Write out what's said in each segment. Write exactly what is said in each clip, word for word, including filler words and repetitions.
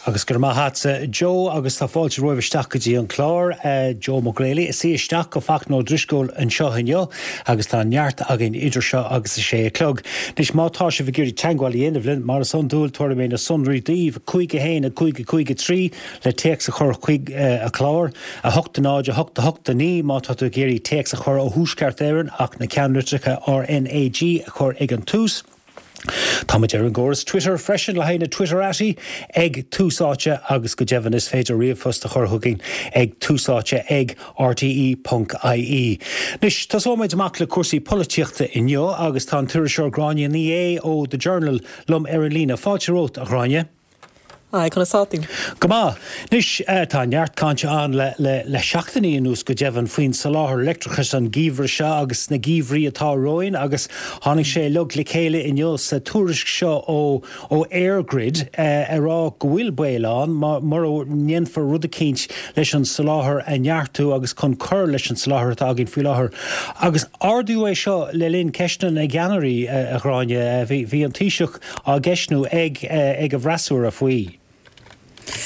Agus go raibh maith agat, Joe, agus tá fáilte romhaibh isteach go dtí an clár, Joe McGrailey, is í isteach go Fachtna Ó Drisceoil anseo inniu agus tá neart againn idir seo agus a sé a chlog. Anois má tá sibh ag iarraidh teagmháil a dhéanamh linn, mar is iondúil, tabharfaidh mé na sonraí daoibh, cúig a haon a cúig a cúig a trí le téacs a chur chuig an chlár, a hocht a náid a hocht a hocht a naoi má tá tú ag iarraidh téacs a chur ó Thuaisceart Éireann ach na ceannlitreacha R N A G a chur ag an tús. Táimid ar an gcóras Twitter freisin le haghaidh na Twitterati ag Tús Áite agus go deimhin is féidir ríomhphost a chur chugainn ag túsáite ag R T E ponc I E. Anois tosóimid amach le cúrsaí polaitíochta inniu agus tá an t-iriseoir Gráinne Ní Aodha ó The Journal liom ar an líne. Fáilte romhat, a Ghráinne. Haigh, conas tá tú? Go maith. Anois tá neart cainte ann le, le, le seachtainí anuas go deimhin faoin soláthar leictreachais an geimhreadh seo agus na geimhrí atá romhainn agus tháinig sé uilig le chéile inniu sa tuairisc seo ó ó EirGrid uh, ag rá go bhfuil baol ann mura ndéanfar rud eicínt leis an soláthar a neartú agus chun cur leis an soláthar atá againn faoi láthair. Agus ardaíodh é seo le linn ceisteanna na gceannairí, a Ghráinne, bhí, bhí an Taoiseach á gceistniú ag, ag a bhfreasúra faoi.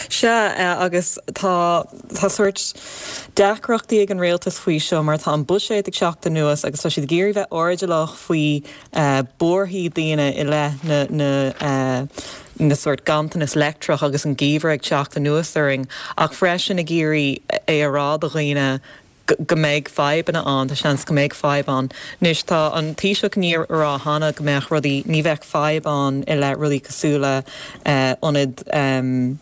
Sea, agus tá tá sórt deacrachtaí ag an rialtas faoi seo mar tá an buiséad ag teacht anuas agus tá siad ag iarraidh bheith airdeallach faoi buarthaí daoine i leith na na na sórt ganntanas leictreach agus an geimhreadh ag teacht anuas orainn, ach freisin ag iarraidh é a rá do dhaoine go mbeidh fadhbanna ann, tá seans go mbeidh fadhb ann. Anois tá an Taoiseach ag rá cheana go mbeadh rudaí ní bheadh fadhb ann i leith rudaí cosúil le ionad um,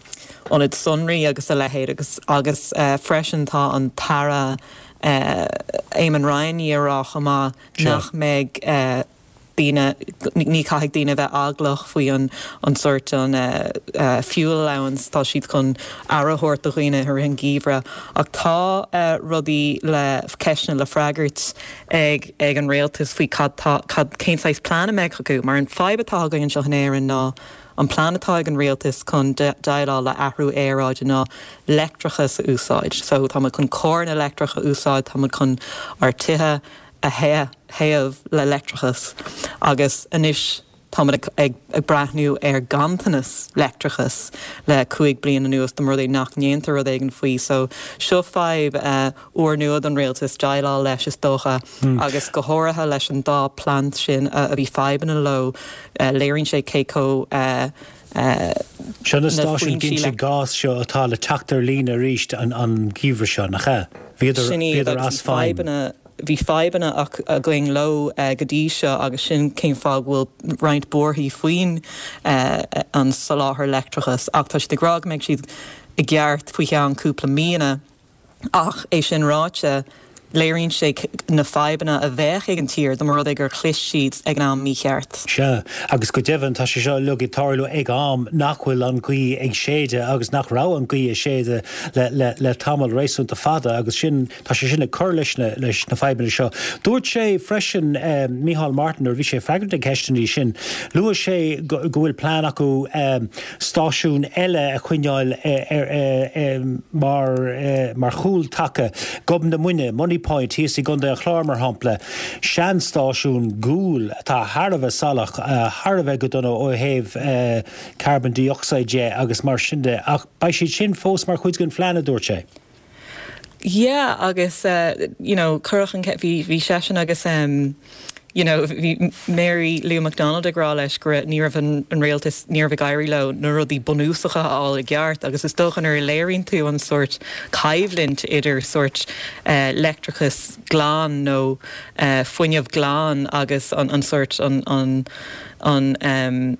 ionad sonraí agus a leithéid agus agus uh, freisin tá an tAire uh, Eamon Ryan ag rá chomh maith nach mbeidh uh, daoine ní caithfidh daoine bheith eaglach faoi an an sórt an uh, uh, fuel allowance, tá siad chun aire a thabhairt do dhaoine ar an geimhreadh, ach tá uh, rudaí le ceisteanna le freagairt ag ag an rialtas faoi cad cad cén saghas plean a mbeidh acu, mar an fadhb atá againn anseo in Éirinn ná an plean atá ag an rialtas chun déileáil le athrú aeráide ná leictreachas a úsáid. So tá chun carranna leictreach a úsáid, tá chun ár dtithe a théamh le leictreachas agus anois tá ag, ag, ag breathnú ar ganntanas leictreachas le cúig bliana anuas de rud nach ndéantar rud éigin faoi, so seo fadhb uh, úrnua don rialtas déileáil leis is dócha mm. agus go háirithe leis an dá plant sin uh, a bhí fadhbanna leo, uh, léiríonn sé cé chomh uh, Seo na stáisiúin ginte gás seo atá le teacht ar líne arís an an geimhreadh seo, nach ea? Bhíodar as feidhm. Bhí fadhbanna againn leo uh, go dtí seo agus sin cén fáth bhfuil roinnt buarthaí faoin uh, an soláthar leictreachas, ach tá siad ag rá go mbeidh siad i gceart faoi cheann cúpla míonna, ach é sin ráite, léiríonn sé na fadhbanna a bheadh ag an tír dá mba rud é gur chlis siad ag an am mícheart. Sea, agus go deimhin tá sé seo uilig ag tarlú ag am nach bhfuil an ghaoth ag séideadh agus nach raibh an ghaoth ag séideadh le, le, le tamall réasúnta fada agus sin tá sé sin ag cur leis na, leis na fadhbanna seo. Dúirt sé freisin, eh, Micheál Martin, nuair bhí sé ag freagairt na ceisteanna sin, luaigh sé go, go bhfuil plean acu um, stáisiún eile a choinneáil eh, eh, eh, mar, eh, mar chúltaca, Gob na Muine, Moneypoint thíos i gContae an Chláir mar shampla, seanstáisiún guail atá thar a bheith salach, thar a bheith go dona ó thaobh uh, carbon dioxide de agus mar sin de, ach beidh siad sin fós mar chuid den phlean, a dúirt sé. Yeah, agus uh, you know, chuir an bhí bhí seisean agus um, you know, bhí Mary Lou McDonald ag rá leis go ní raibh an, an rialtas, ní raibh ag éirí leo na rudaí bunúsacha a fháil i gceart, agus is dócha nuair a léiríonn tú an sórt coimhlint idir sórt uh, leictreachas glan nó uh, fuinneamh glan agus an, an sórt an, an, an um,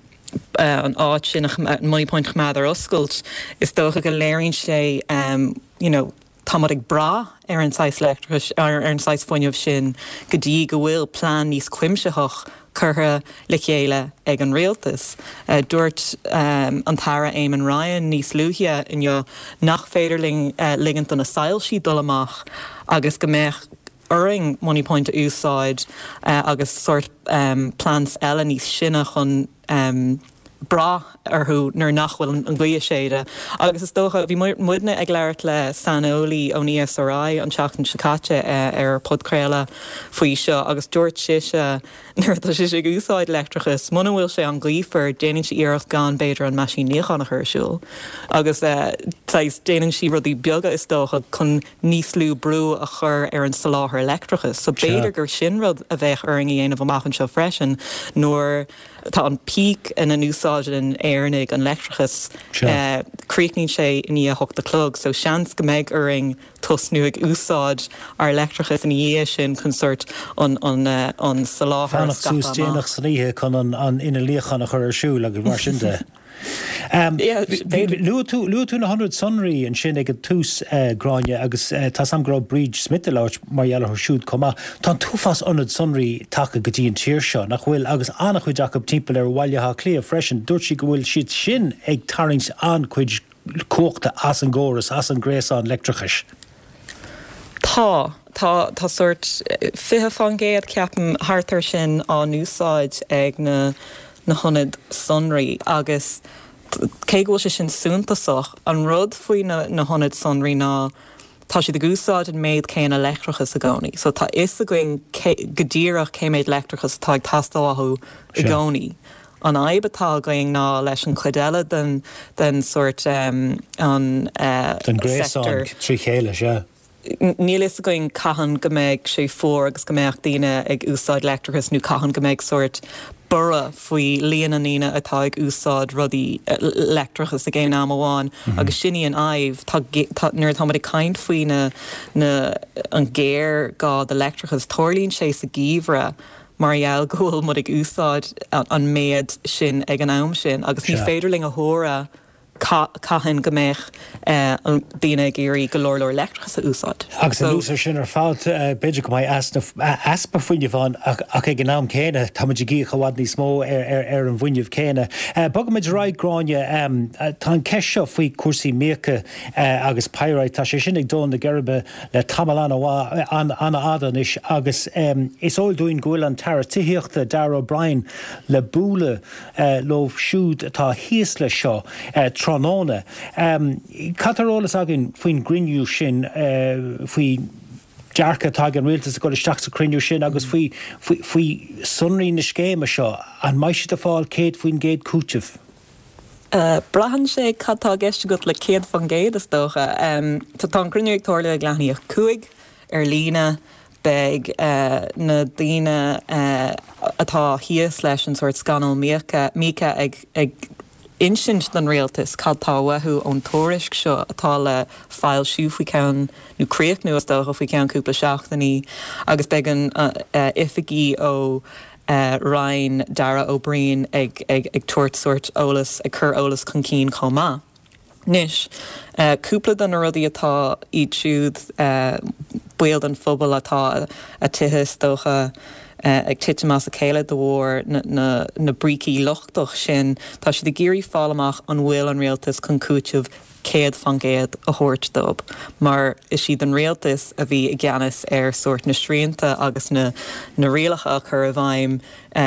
uh, an áit sin, Moneypoint, choimeád ar oscailt, is dócha go léiríonn sé um, you know, tá ag brath ar an saghas leictreachais, ar an saghas fuinnimh sin go dtí go bhfuil plean níos cuimsitheach curtha le chéile ag an rialtas. Uh, dúirt um, an tAire Eamon Ryan níos luaithe inniu nach féidir linn uh, ligint do na soilse dul amach agus go mbeadh orainn Moneypoint a úsáid uh, agus sórt um, plants eile níos sine chun um, brath orthu nuair nach bhfuil an ghaoth ag séideadh. Agus is dócha, bhí muidne ag labhairt le saineolaí ón E S R I an tseachtain seo caite ar podchraoladh faoi seo agus dúirt sise nuair atá sise ag úsáid leictreachas, muna bhfuil sé an-ghaofar, déanann sí iarracht gan b'fhéidir an meaisín níocháin a chur ar siúl. Agus saghas déanann sí rudaí beaga is dócha chun níos lú brú a chur ar an soláthar leictreachais. So b'fhéidir gur sin rud a bheadh orainn a dhéanamh amach anseo freisin nuair tá an peak ina n-úsáideann Éireannaigh an leictreachas, críochnaíonn sé i ndiaidh a hocht a chlog, so seans go mbeidh orainn tosnú ag úsáid ár leictreachas ina dhiaidh sin chun sort an an an soláthar a Fanacht suas scaipeadh amach. Déanach san oíche chun an an inneall níocháin a chur ar siúl agus mar sin de. Luaigh tú luaigh tú na hionaid sonraí ansin ag an tús, Gráinne, agus tá 's agam go raibh Bríd Smith ag labhairt mar gheall orthu siúd chomh maith. Tá an t-uafás ionad sonraí tagtha go dtí an tír seo, nach bhfuil, agus an-chuid acu timpeall ar Bhaile Átha Cliath freisin. Dúirt sí go bhfuil siad sin ag tarraingt an-chuid cumhachta as an gcóras, as an ngréasán leictreachais. Tá tá tá sort fiche faoin gcéad, ceapaim, thart ar sin á n-úsáid ag na na hionaid sonraí agus cé go bhfuil sé sin suntasach, an rud faoi na na hionaid sonraí ná tá siad ag úsáid an méid céanna leictreachas i gcónaí. So tá fhios againn go díreach cé méid leictreachas atá ag teastáil uathu i gcónaí. An fhadhb atá againn ná leis an chuid eile den den sort um, an uh, Den gréasán trí chéile, sea. Níl fhios againn cathain go mbeidh sé fuar agus go mbeadh daoine ag úsáid leictreachas nó cathain go mbeidh sort borradh faoi líon na ndaoine atá ag úsáid rudaí leictreachas ag aon am amháin agus sin í an fhadhb. Nuair atá ag caint faoi na na an géarghá do leictreachas, tarlaíonn sé sa gheimhreadh mar gheall go bhfuil muid ag úsáid an méid sin ag an am sin agus ní féidir linn a thuar cathain go mbeidh daoine ag iarraidh go leor leor leictreachas a úsáid. Agus anuas air sin ar fad, b'fhéidir go mbeidh easpa fuinnimh ann ach ag an am céanna táimid ag íoc i bhfad níos mó ar an bhfuinneamh céanna. Bogaimid ar aghaidh, Gráinne, tá an ceist seo faoi cúrsaí míoca agus pyrite, tá sé sin ag dó na geirbe le tamall an-fhada anois agus is eol dúinn go bhfuil an tAire Tithíochta Darragh O'Brien le bualadh leo siúd atá thíos leis seo tráthnóna. Cad tá ar eolas againn faoin gcruinniú sin, faoi dearcadh atá ag an rialtas ag dul isteach sa chruinniú sin agus faoi faoi sonraí na scéime seo, an mbeidh siad ag fáil céad faoin gcéad cúiteamh? Braitheann sé cad tá i gceist agat le céad faoin gcéad is dócha. Tá an cruinniú ag tarlú ag leath i ndiaidh a cúig ar líne. Beidh na daoine atá thíos leis an sórt scannal míoca míoca ag ag insint don rialtas cad tá uathu ón tuairisc seo atá le foilsiú faoi cheann nó críochnú is dócha faoi cheann cúpla seachtainí agus beidh an oifigigh ó Roinn Darragh O'Brien ag ag ag tabhairt sórt eolas ag cur eolas chun cinn chomh maith. Anois, cúpla de na rudaí atá iad siúd, baill den phobal atá a tithe is dócha ag titim as a chéile de bharr na na brící lochtach sin, tá siad ag iarraidh fáil amach an bhfuil an rialtas chun cúiteamh céad faoin gcéad a thabhairt dóibh mar is iad an rialtas a bhí i gceannas ar sórt na srianta agus na na rialacha a chur i bhfeidhm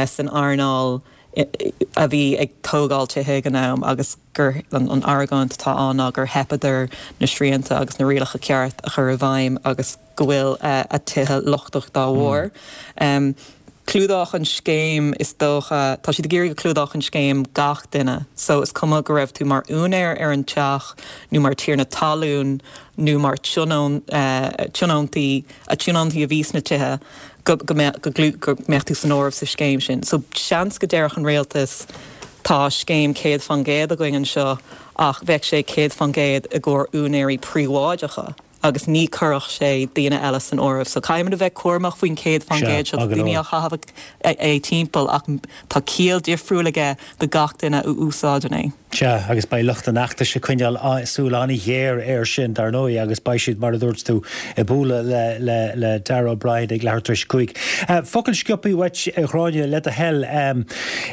san earnáil a bhí ag tógáil tithe ag an am agus gur an an argóint atá ann ná gur theipeadar na srianta agus na rialacha ceart a chur i bhfeidhm agus go bhfuil a tithe lochtach dá bharr. Um, Clúdódh an scéim is dócha, tá siad ag iarraidh go clúdódh an scéim gach duine, so is cuma go raibh tú mar úinéir ar an teach nó mar tiarna talún nó mar tionón tionóntaí a tionóntaí a bhí sna tithe go go mbeadh go go mbeadh tú san áireamh sa scéim sin. So seans go déarfadh an rialtas tá scéim céad faoin gcéad againn anseo ach bheadh sé céad faoin gcéad i gcomhair úinéirí príobháideacha agus ní chuirfeadh sé daoine eile san áireamh. So caithfimid a bheith cúramach faoin céad faoin gcéad seo, daoine á chaitheamh é timpeall ach tá ciall difriúil aige do gach duine a úsáideann é. Sea, agus beidh lucht an fheachtais ag coinneáil súil an-ghéar air sin, dar ndóigh, agus beidh siad, mar a dúirt tú, ag bualadh le le le Darragh O'Brien ag leathuair tar éis a cúig. Focal sciobtha uait, a Ghráinne, le do thoil.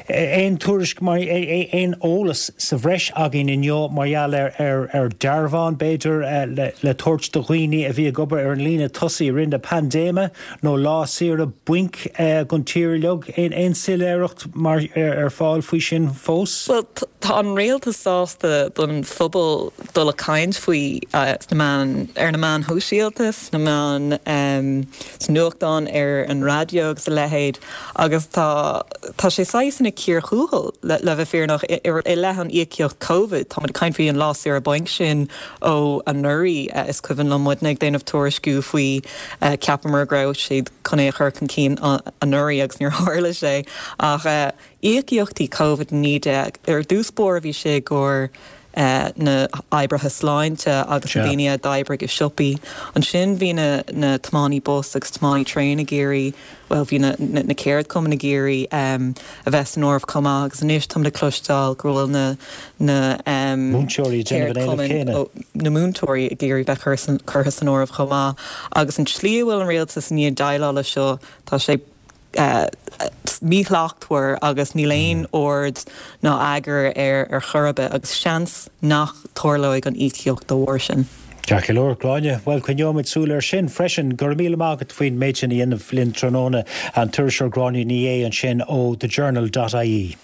Aon tuairisc mar aon eolas sa bhreis againn inniu mar gheall ar ar ar dearbhán, b'fhéidir, le le tabhairt do dhaoine a bhí ag obair ar an líne tosaigh i rith na paindéime nó lá saoire bainc don tír uilig aon aon soiléireacht mar ar, ar fáil faoi sin fós? Well tá an rialtas sásta don phobal dul ag caint faoi uh, sna meáin ar na meáin shóisialta, sna meáin um, sa nuachtán ar an raidió agus a leithéid agus tá tá sé saghas ina cíor thuathail le, le bheith fírinneach i leith an íocaíocht COVID Tá caint faoi an lá saoire bainc sin ó anuraidh uh, is cuimhin liom muidne ag déanamh tuairisciú faoi uh, ceapamar go raibh siad chun é a chur chun cinn anuraidh agus níor tharla sé ach uh, íocaíochtaí COVID naoi déag ar dtús báire bhí sé gur Uh, na oibrithe sláinte agus na daoine a d'oibrigh i siopaí. Ansin bhí na, na tiománaí bus agus tiománaí traein ag iarraidh, well bhí na, na, na ceardchumainn ag iarraidh um, a bheith san áireamh chomh maith agus anois tá le cloisteáil go bhfuil na na um, Múinteoirí na múinteoirí ag iarraidh bheith curtha san áireamh chomh maith agus an tslí a bhfuil an rialtas i ndiaidh déileáil leis seo tá sé uh, míshlachtmhar agus níl aon ord ná eagar ar ar chor ar bith agus seans nach dtarlóidh an íocaíocht dá bharr sin. Ceart go leor Gráinne, well coinneoimid súil air sin freisin go raibh míle maith agat faoin méid sin a dhéanamh linn tráthnóna an t-iriseoir Gráinne Ní Aodha ansin ó thejournal.ie.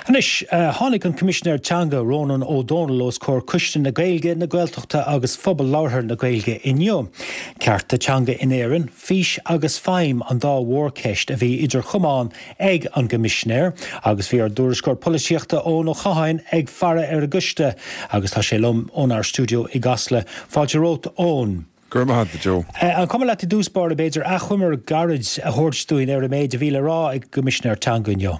Anois tháinig an Coimisinéir Teanga Rónán Ó Domhnaill os comhair Coiste na Gaeilge, na Gaeltachta agus Phobal Labhartha na Gaeilge inniu. Cearta teanga in Éirinn, fís agus feidhm an dá mhórcheist a bhí idir chamáin ag an gCoimisinéir agus bhí ár dtuairisceoir polaitíochta Eoin Ó Catháin ag faire ar an gcoiste agus tá sé liom ónár stiúideo i gCasla. Fáilte romhat Eoin. Go raibh maith agat Joe. An cuma leat i dtús báire b'fhéidir achoimre gairid a thabhairt dúinn ar an méid a bhí le rá ag an gCoimisinéir Teanga inniu.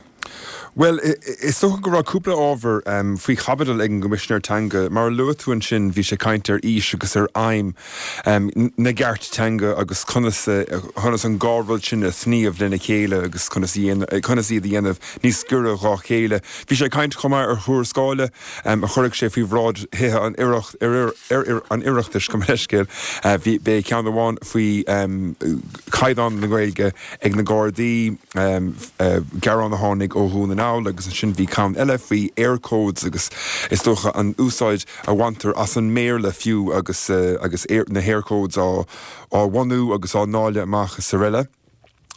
Well, is dócha go raibh cúpla ábhar um, faoi chaibidil ag an gCoimisinéir Teanga, mar a luaigh tú ansin bhí sé ag caint ar fhís agus ar aidhm um, na gceart teanga agus conas, conas an dhá rud sin a shníomh lena chéile agus conas conas iad a dhéanamh níos gaire dá chéile. Bhí sé ag caint chomh maith ar thuarascáil um, a chuirfidh sé faoi bhráid Thithe an Oireacht, ar, ar, ar, an Oireachtais go leiscéil. Uh, bhí bé ceann amháin faoi um, caighdeán na Gaeilge ag na Gardaí um, uh, gearán a tháinig ó Dhún na nGall agus ansin bhí ceann eile faoi Eircodes agus is dócha an úsáid a bhaintear as an mBéarla fiú agus uh, agus air, na hEircodes á á bhunú agus á ndáileadh amach is araile.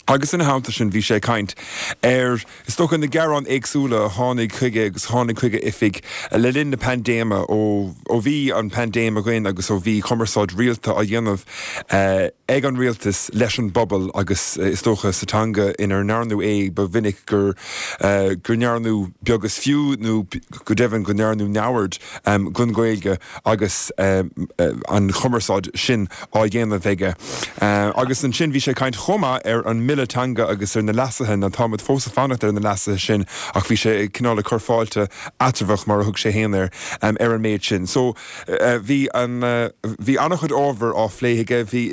Agus ina theannta sin bhí sé ag caint ar is dócha na gearáin éagsúla a tháinig chuige agus tháinig chuig a oifig le linn na paindéime ó ó bhí an paindéim againn agus ó bhí cumarsáid rialta á dhéanamh eh, ag an rialtas leis an bpobal agus eh, is dócha sa teanga inar ndearnadh é ba mhinic gur eh, gur ndearnadh beag is fiú nó go deimhin go ndearnadh neamhaird um, den Ghaeilge agus um, an chumarsáid sin á dhéanamh aige. Uh, agus ansin bhí sé ag caint chomh maith ar an mBille Teanga agus ar na leasuithe na táimid fós ag fanacht ar na leasuithe sin ach bhí sé cineál ag cur fáilte eatramhach mar a thug sé féin air um, ar an méid sin. So uh, bhí an uh, bhí an-chuid ábhar á phlé aige bhí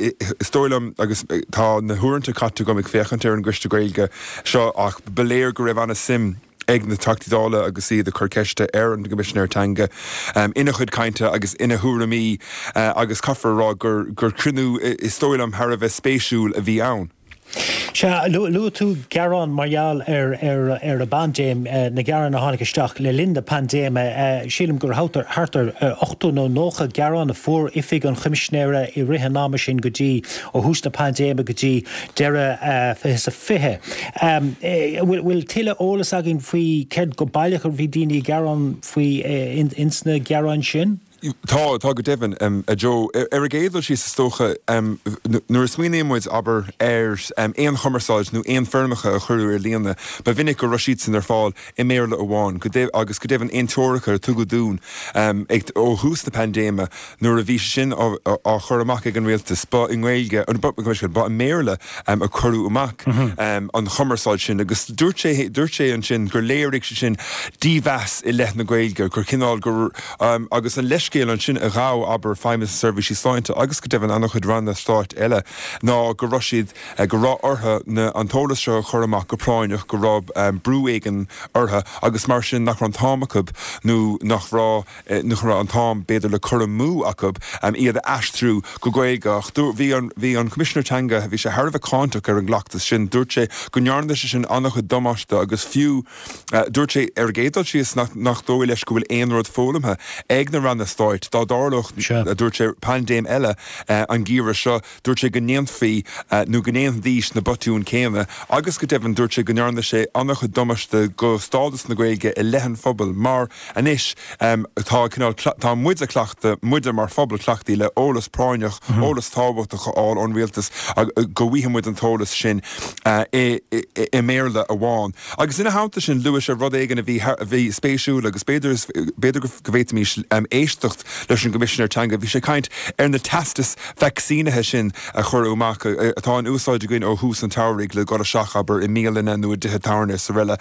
is dóigh liom agus tá na huaireanta caite agam ag féachaint ar an gCoiste Gaeilge seo ach ba léir go raibh an-suim ag na Teachtaí Dála agus iad ag cur ceiste ar an gCoimisinéir Teanga um, ina chuid cainte agus ina thuairimí uh, agus caithfear rá gur gur cruinniú is dóigh liom thar a bheith spéisiúil a bhí ann. Sea, luaigh tú gearán mar gheall ar ar ar an bpaindéim na gearáin a tháinig isteach le linn na paindéime. Sílim gur thart thart ar ochtó nó nócha gearán a fuair oifig an Choimisinéara i rith an ama sin go dtí ó thús na paindéime go dtí deireadh fiche is a fiche. Bhfuil tuilleadh eolas againn faoi céard go baileach a bhí daoine ag gearán faoi ins na gearáin sin? Tá tá go deimhin um, a Joe ar an gcéad dul síos is dócha um, nuair a smaoiníonn muid abair ar um, aon chumarsáid nó aon foirmeacha a cuireadh ar líne, ba mhinic go raibh siad sin ar fáil i mBéarla amháin go agus go deimhin aon treoracha a tugadh dúinn um, ag ó thús na paindéime nuair a bhí sin á, á chur amach ag an rialtas ba i nGaeilge ba, ba i mBéarla um, a cuireadh amach mm -hmm. um, an chumarsáid sin agus dúirt sé dúirt sé ansin gur léirigh sé sin dímheas i leith na Gaeilge gur cineál gur um, agus an leis leithscéal ansin a ghabh, abair, Feidhmeannas na Seirbhísí Sláinte agus go deimhin an-chuid ranna stáit eile ná go raibh siad, go raibh orthu na, an t-eolas seo a chur amach go práinneach, go raibh brú éigin orthu agus mar sin nach raibh an t-am acu nó nach raibh, nach raibh an t-am b'fhéidir le cur amú acu iad a aistriú go Gaeilge. Ach bhí an, bhí an Coimisinéir Teanga, bhí sé thar a bheith cáinteach ar an gcleachtas sin. Dúirt sé go ndearna sé sin an-chuid damáiste agus fiú, dúirt sé ar an gcéad dul síos nach, nach dóigh leis go bhfuil aon rud foghlamtha ag na ranna stáit dá dtarlódh, a dúirt sé, paindéim eile an geimhreadh seo. Dúirt sé go ndéanfaí nó go ndéanfaidís na botúin céanna agus go deimhin dúirt sé go ndearna sé an-chuid damáiste go stádas na Gaeilge i leith an phobail mar anois tá cineál, tá muide cleachta, muide mar phobal cleachtaithe le eolas práinneach, eolas tábhachtach a fháil ón rialtas go bhfaigheann muid an t-eolas sin i mBéarla amháin. Agus ina theannta sin luaigh sé rud éigin a bhí a bhí spéisiúil agus b'fhéidir b'fhéidir go bhféadfaimis éisteacht leis an gCoimisinéir Teanga. Bhí sé ag caint ar na teastais vacsaínithe sin a cuireadh amach, atá in úsáid againn ó thús an tsamhraidh le dul isteach, abair, i mbialanna nó i dtithe tábhairne is araile.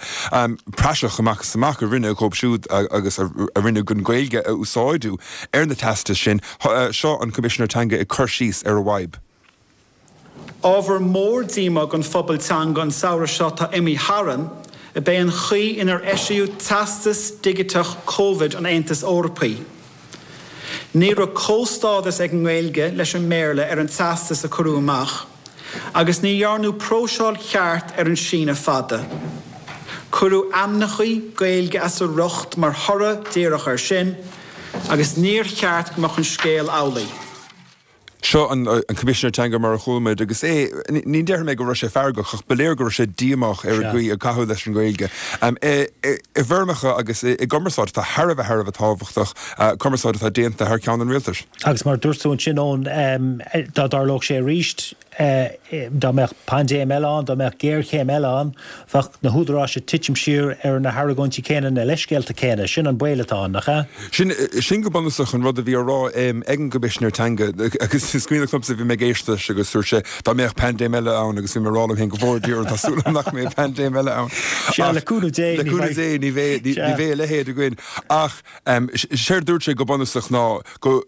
Praiseach amach is amach a rinneadh dhóibh siúd agus a rinneadh an Ghaeilge a úsáideadh ar na teastais sin. Seo an Coimisinéir Teanga ag cur síos ar an bhfadhb. Ábhar mór díomá don phobal teanga an samhradh seo atá imithe tharainn ab ea an chaoi inar eisíodh teastas digiteach Covid an Aontais Eorpaigh. Ní raibh comhstádas ag an nGaeilge leis an mBéarla ar an teastas a cuireadh amach, agus ní dhearnadh próiseáil cheart ar an síneadh fada. Cuireadh ainmneacha Gaeilge as a riocht mar thoradh díreach air sin, agus níor cheart go mbeadh an scéal amhlaidh. Seo an Coimisinéir Teanga mar a chuala muid agus é, ní déarfaidh mé go raibh sé feargach ach ba léir go raibh sé díomách ar an gcaoi a caitheadh leis an Ghaeilge i bhfoirmeacha agus i gcumarsáid atá thar a bheith thar a bheith tábhachtach, cumarsáid atá déanta thar ceann an rialtais. Agus mar a dúirt tú ansin, Eoin, dá dtarlódh sé arís, dá mbeadh paindéim eile ann, dá mbeadh géarchéim eile ann, bheadh na húdaráis ag titim siar ar na hargóintí céanna, na leithscéalta céanna. Sin an baol atá ann, nach ea? Sin, sin go bunúsach an rud a bhí á rá ag an gCoimisinéir Teanga agus is cuimhneach liomsa, bhí mé ag éisteacht leis agus dúirt sé dá mbeadh paindéim eile ann agus bhí mé ag rá liom féin go bhfóire Dia orainn, tá súil agam nach mbeidh paindéim eile ann. Sea, le cúnamh Dé, ní bheidh. Le cúnamh Dé, ní bheidh, ní bheidh a leithéid againn. Ach séard a dúirt sé go bunúsach ná go,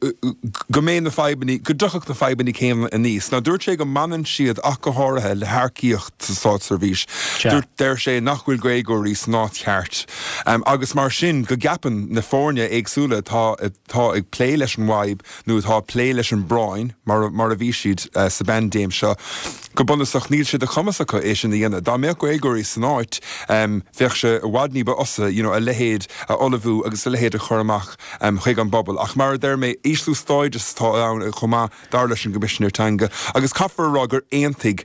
go mbeidh na fadhbanna, go dtiocfadh na fadhbanna céanna aníos. Now dúirt sé go mbaineann siad ach go háirithe le hearcaíocht sa státseirbhís. Dúirt, deir sé nach bhfuil Gaeilgeoirí san áit cheart agus mar sin go gceapann na foirne éagsúla atá atá ag plé leis an bhfadhb nó atá ag plé leis an bpráinn mar mar a bhí siad sa bpaindéim seo, go bunúsach níl sé de chumas acu é sin a dhéanamh. Dá mbeadh Gaeilgeoirí san áit bheadh sé i bhfad ní ba fhusa you know a leithéid a ullmhú agus a leithéid a chur amach chuig an bpobal. Ach mar a deir mé, ísliú stádais atá ann chomh maith, dar leis an gCoimisinéir Teanga, agus caithfear a rá gur aontaigh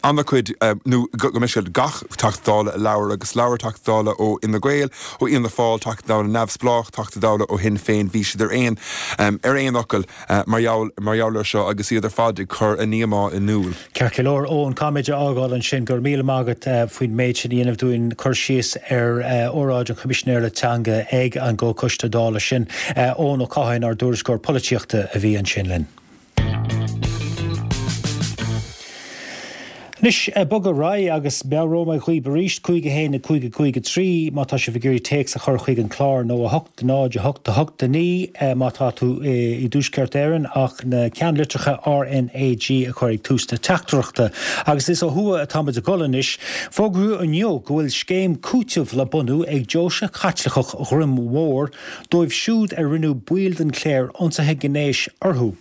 an-chuid, nó go mbeidh siad, gach Teachta Dála a labhair, agus labhair Teachta Dála ó Fhine Gael, ó Fhianna Fáil, Teachta Dála neamhspleách, Teachta Dála ó Shinn Féin, bhí siad ar aon, ar aon fhocal mar gheall, mar gheall air seo agus iad ar fad ag cur a ndíomá in iúl. Ceart go leor, Eoin, caithfimid a fhágáil ansin. Go raibh míle maith agat faoin méid sin a dhéanamh dúinn, cur síos ar óráid an Choimisinéara Teanga ag an gComhchoiste Dála sin. Eoin Ó Catháin, ár dtuairisceoir polaitíochta, a bhí ansin linn. Anois, bogadh ar aghaidh agus meabhróidh mé dhaoibh arís, cúig a haon a cúig a cúig a trí má tá sibh ag iarraidh téacs a chur chuig an chlár nó a hocht náid a hocht a hocht a naoi má tá tú i dTuaisceart Éireann ach na ceannlitreacha RnaG a chur ag tús na teachtaireachta. Agus is ó thuaidh atá muid ag dul anois. Fógraíodh inniu go bhfuil scéim cúitimh le bunú ag Deoise Chaitliceach Dhroim Mhór dóibh siúd ar rinneadh baill den chléir ionsaithe gnéis orthu.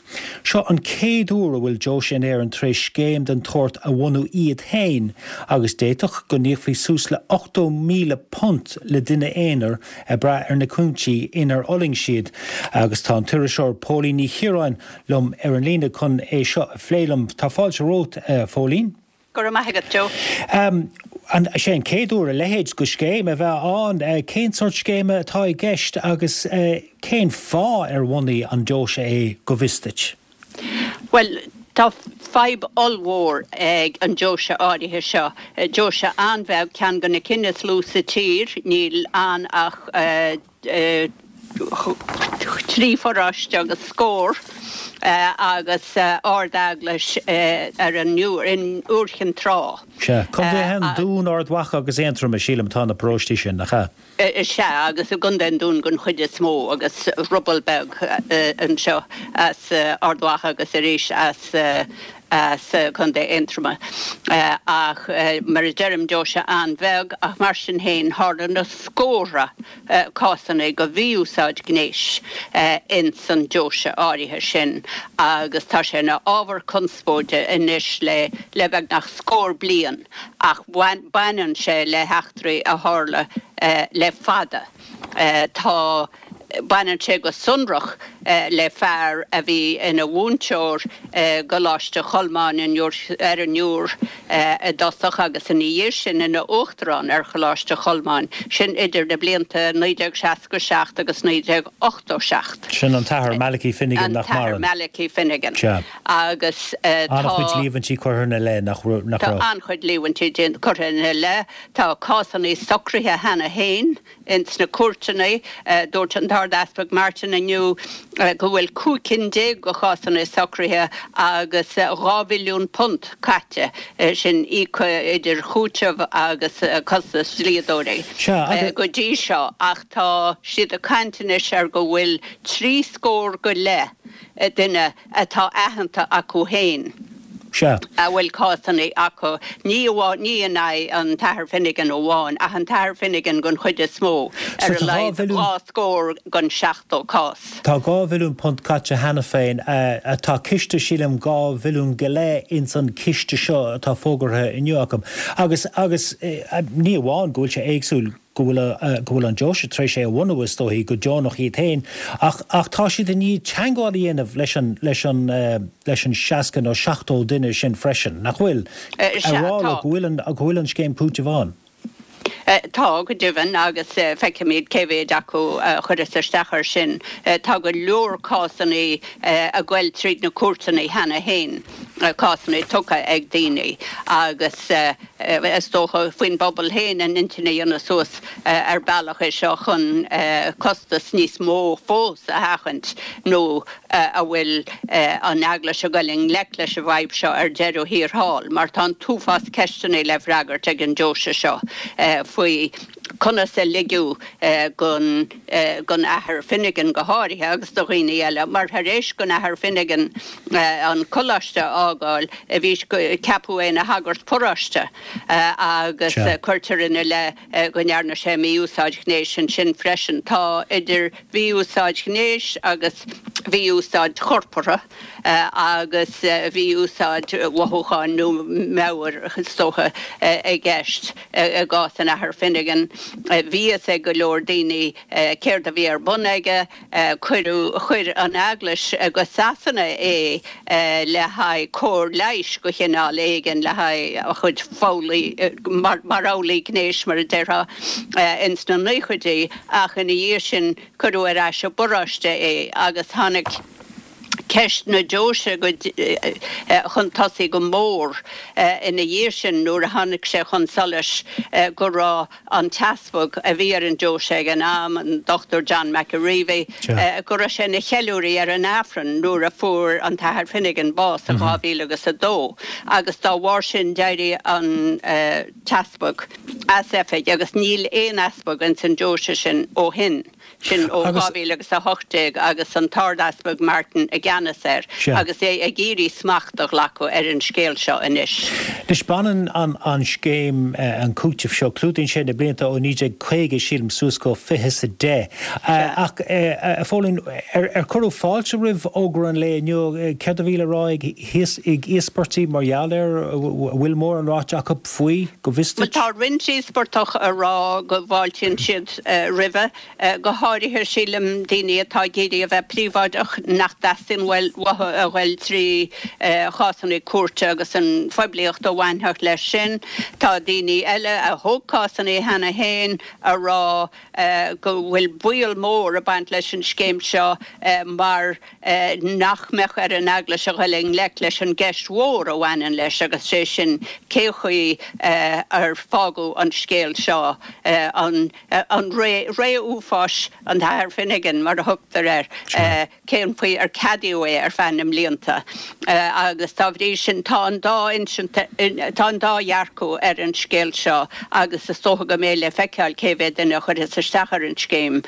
Seo an chéad uair a bhfuil deoise in Éirinn tar éis scéim den tsórt a bhunú iad féin agus d'fhéadfadh go n-íocfaí suas le ochtó míle punt le duine aonair ag brath ar na cúinsí inar fhulaing siad. Agus tá an t-iriseoir Póilín Ní Chiaráin liom ar an líne chun é seo a phlé liom. Tá fáilte romhat, a Phóilín. Go raibh maith agat, Joe. An é an chéad uair a leithéid de scéim a bheith ann? Cén sórt scéime atá i gceist agus cén fáth ar bhunaigh an deoise é, go bhfios duit? Bhuel, tá fadhb ollmhór ag an deoise áirithe seo. Deoise an-bheag, ceann de na cinn is lú sa tír, níl ann ach trí pharóiste agus scór agus Ard-Eaglais ar an Iúr, in Iúr Chinn Trá. Sea, Contaetha an Dúin, Ard Mhacha agus Aontroim, sílim, atá na paróistí sin, nach ea? Sea, agus i gContae an Dúin den chuid is mó, agus ruball beag anseo as Ard Mhacha agus arís as as Contae Aontroma. Ach mar a deirim, deoise an-bheag, ach mar sin féin, tharla na scórtha cásanna de mhí-úsáid gnéis ins an deoise áirithe sin agus tá sé ina ábhar conspóide anois le le beagnach scór bliain ach baineann sé le heachtraí a tharla le fada. Tá. Baineann sé go sonrach le fear a bhí ina mhúinteoir i gColáiste Cholmáin ar an Iúr i dtosach agus ina dhiaidh sin ina uachtarán ar Choláiste Cholmáin, sin idir na blianta naoi déag seasca seacht agus naoi déag ochtó seacht. Sin an tAthair Malachy Finnegan nach maireann. An tAthair Malachy Finnegan. Sea. Agus tá. An-chuid líomhaintí curtha ina leith, nach raibh? Tá an-chuid líomhaintí curtha ina leith. Tá cásanna socraithe cheana féin. Ins na cúirteanna, dúirt an tArd-Easpag Martin inniu go bhfuil cúig cinn déag de chásanna socraithe agus dhá mhilliún punt caite, sin íoctha idir chúiteamh agus costas dlíodóirí go dtí seo ach tá siad ag caint anois ar go bhfuil trí scór go leith duine atá aitheanta acu féin. Sea. a bhfuil cásanna acu, ní amháin, ní in aghaidh an tAthair Finnegan amháin, ach an tAthair Finnegan den chuid is mó, So ar a tá dhá laghad mhilliún. dhá scór den seachtó cás. Tá dhá mhilliún punt caite cheana féin. Tá ciste, sílim, dhá mhilliún go leith ins an chiste seo atá fógartha inniu acu. Agus, agus ní amháin go bhfuil sé éagsúil, go bhfuil go bhfuil an deoise tar éis é a bhunú is dóichí go deonach iad féin ach ach tá siad i ndiaidh teagmháil a dhéanamh leis an leis an leis an seasca nó seachtó duine sin freisin, nach bhfuil? Eh, A sea, rá leo tá. go bhfuil an go bhfuil an scéim cúitimh ann. Eh, tá, go deimhin, agus eh, feicfimid cé mhéid acu a chuireas isteach air sin. Eh, tá go leor cásanna eh, ag goil tríd na cúirteanna cheana féin, eh, cásanna tugtha ag daoine agus eh, Is dócha faoin bpobal féin a n-intinn a dhéanamh suas ar bealach é seo chun costas níos mó fós a sheachaint nó an bhfuil an Eaglais ag goil i ngleic leis an bhfadhb seo ar deireadh thiar thall mar tá an t-uafás ceisteanna le freagairt ag an deoise seo faoi conas a ligeadh don don Athair Finnegan go háirithe agus do dhaoine eile mar tar éis don Athair Finnegan an coláiste a fhágáil bhí ceapadh é ina shagart paróiste agus cuirtear ina leith go ndearna sé mí-úsáid ghnéis ansin freisin. Tá idir mhí-úsáid ghnéis agus mhí-úsáid chorpartha agus mhí-úsáid mhothúcháin nó meabhair is dócha i gceist i gcás an Athar Finnegan. Bhí fhios ag go leor daoine céard a bhí ar bun aige. Cuireadh, chuir an Eaglais go Sasana é le haghaidh cóir leighis de chineál éigin le haghaidh a chuid foghlaí, mar fhoghlaí gnéis mar a déarfá, ins na naochaidí ach ina dhiaidh sin cuireadh ar ais i bparóiste é agus tháinig ceist na deoise chun tosaigh go mór ina dhiaidh sin nuair a tháinig sé chun solais go raibh an t-easpag a bhí ar an deoise ag an am, an Dochtúir John McAreavey, go raibh sé ina cheiliúraí ar an Aifreann nuair a fuair an tAthair Finnegan bás in dhá mhíle agus a dó agus dá bharr sin d'éirigh an t-easpag as oifig agus níl aon easpag ins an deoise sin ó shin. Sin ó dhá mhíle agus a hocht déag agus an tArd-Easpag Martin i gceannas air agus é ag iarraidh smacht a ghlacadh ar an scéal seo anois. Anois baineann an scéim, an cúiteamh seo, clúdaíonn sé na blianta ó naoi déag caoga, sílim, suas go fiche is a deich. Ach, a Phóilín, ar cuireadh fáilte roimh fhógra an lae inniu? Céard a bhí le rá ag íospartaigh mar gheall air? An bhfuil mórán ráite acu faoi, go bhfios Bhuel duit? tá roinnt íospartach ag rá go bhfáiltíonn siad roimhe, go háirithe sílim daoine atá ag iarraidh a bheith príobháideach, nach dteastaíonn theastaíonn uathu a ghoil trí chásanna cúirte agus an phoiblíocht a bhainfeadh leis sin. Tá daoine eile a thóg cásanna cheana féin a rá go bhfuil baol mór ag baint leis an scéim seo mar nach mbeadh ar an Eaglais a ghoil i ngleic leis an gceist mhór a bhaineann leis agus sé sin cé chaoi ar fágadh an scéal seo, an ré uafáis an tAthair Finnegan mar a thugtar air, cén chaoi ar ceadaíodh é ar feadh na mblianta agus dá bhrí sin tá an dá insint, tá an dá dhearcadh ar an scéal seo agus is dócha go mbeidh le feiceáil cé mhéad duine a chuirfeas isteach ar an scéim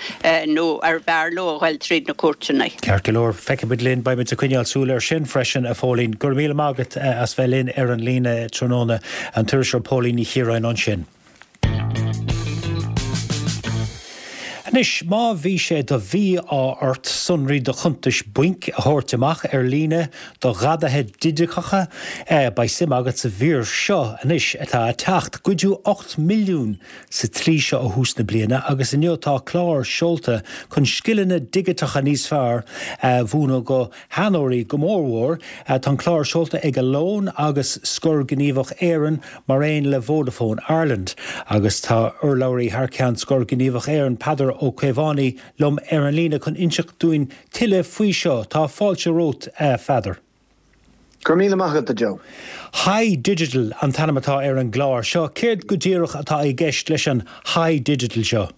nó ar bhfearr leo a ghoil tríd na cúirteanna. Ceart go leor, feicfimid linn, beimid ag coinneáil súil air sin freisin, a Phóilín. Go raibh míle maith agat as bheith linn ar an líne tráthnóna, an t-iriseoir Póilín Ní Chiaráin ansin. Anois, má bhí sé de mhí-ádh ort sonraí do chuntais bainc a thabhairt amach ar líne do ghadaithe digiteacha, beidh suim agat sa mhír seo anois atá ag teacht. Goideadh ocht milliún sa tslí seo ó thús na bliana agus inniu tá clár seolta chun scileanna digiteacha níos fearr a mhúineadh do sheanóirí go mórmhór. Tá an clár seolta ag Alone agus Scor Gníomhach Éireann mar aon le Vodafone Ireland agus tá urlabhraí thar ceann Scor Gníomhach Éireann, Peadar Ó Caomhánaigh, liom ar an líne chun inseacht dúinn tuilleadh faoi seo. Tá fáilte romhat, a Pheadair. Go raibh míle maith agat, a Joe. Hi Digital an t-ainm atá ar an gclár seo. Céard go díreach atá i gceist leis an Hi Digital seo?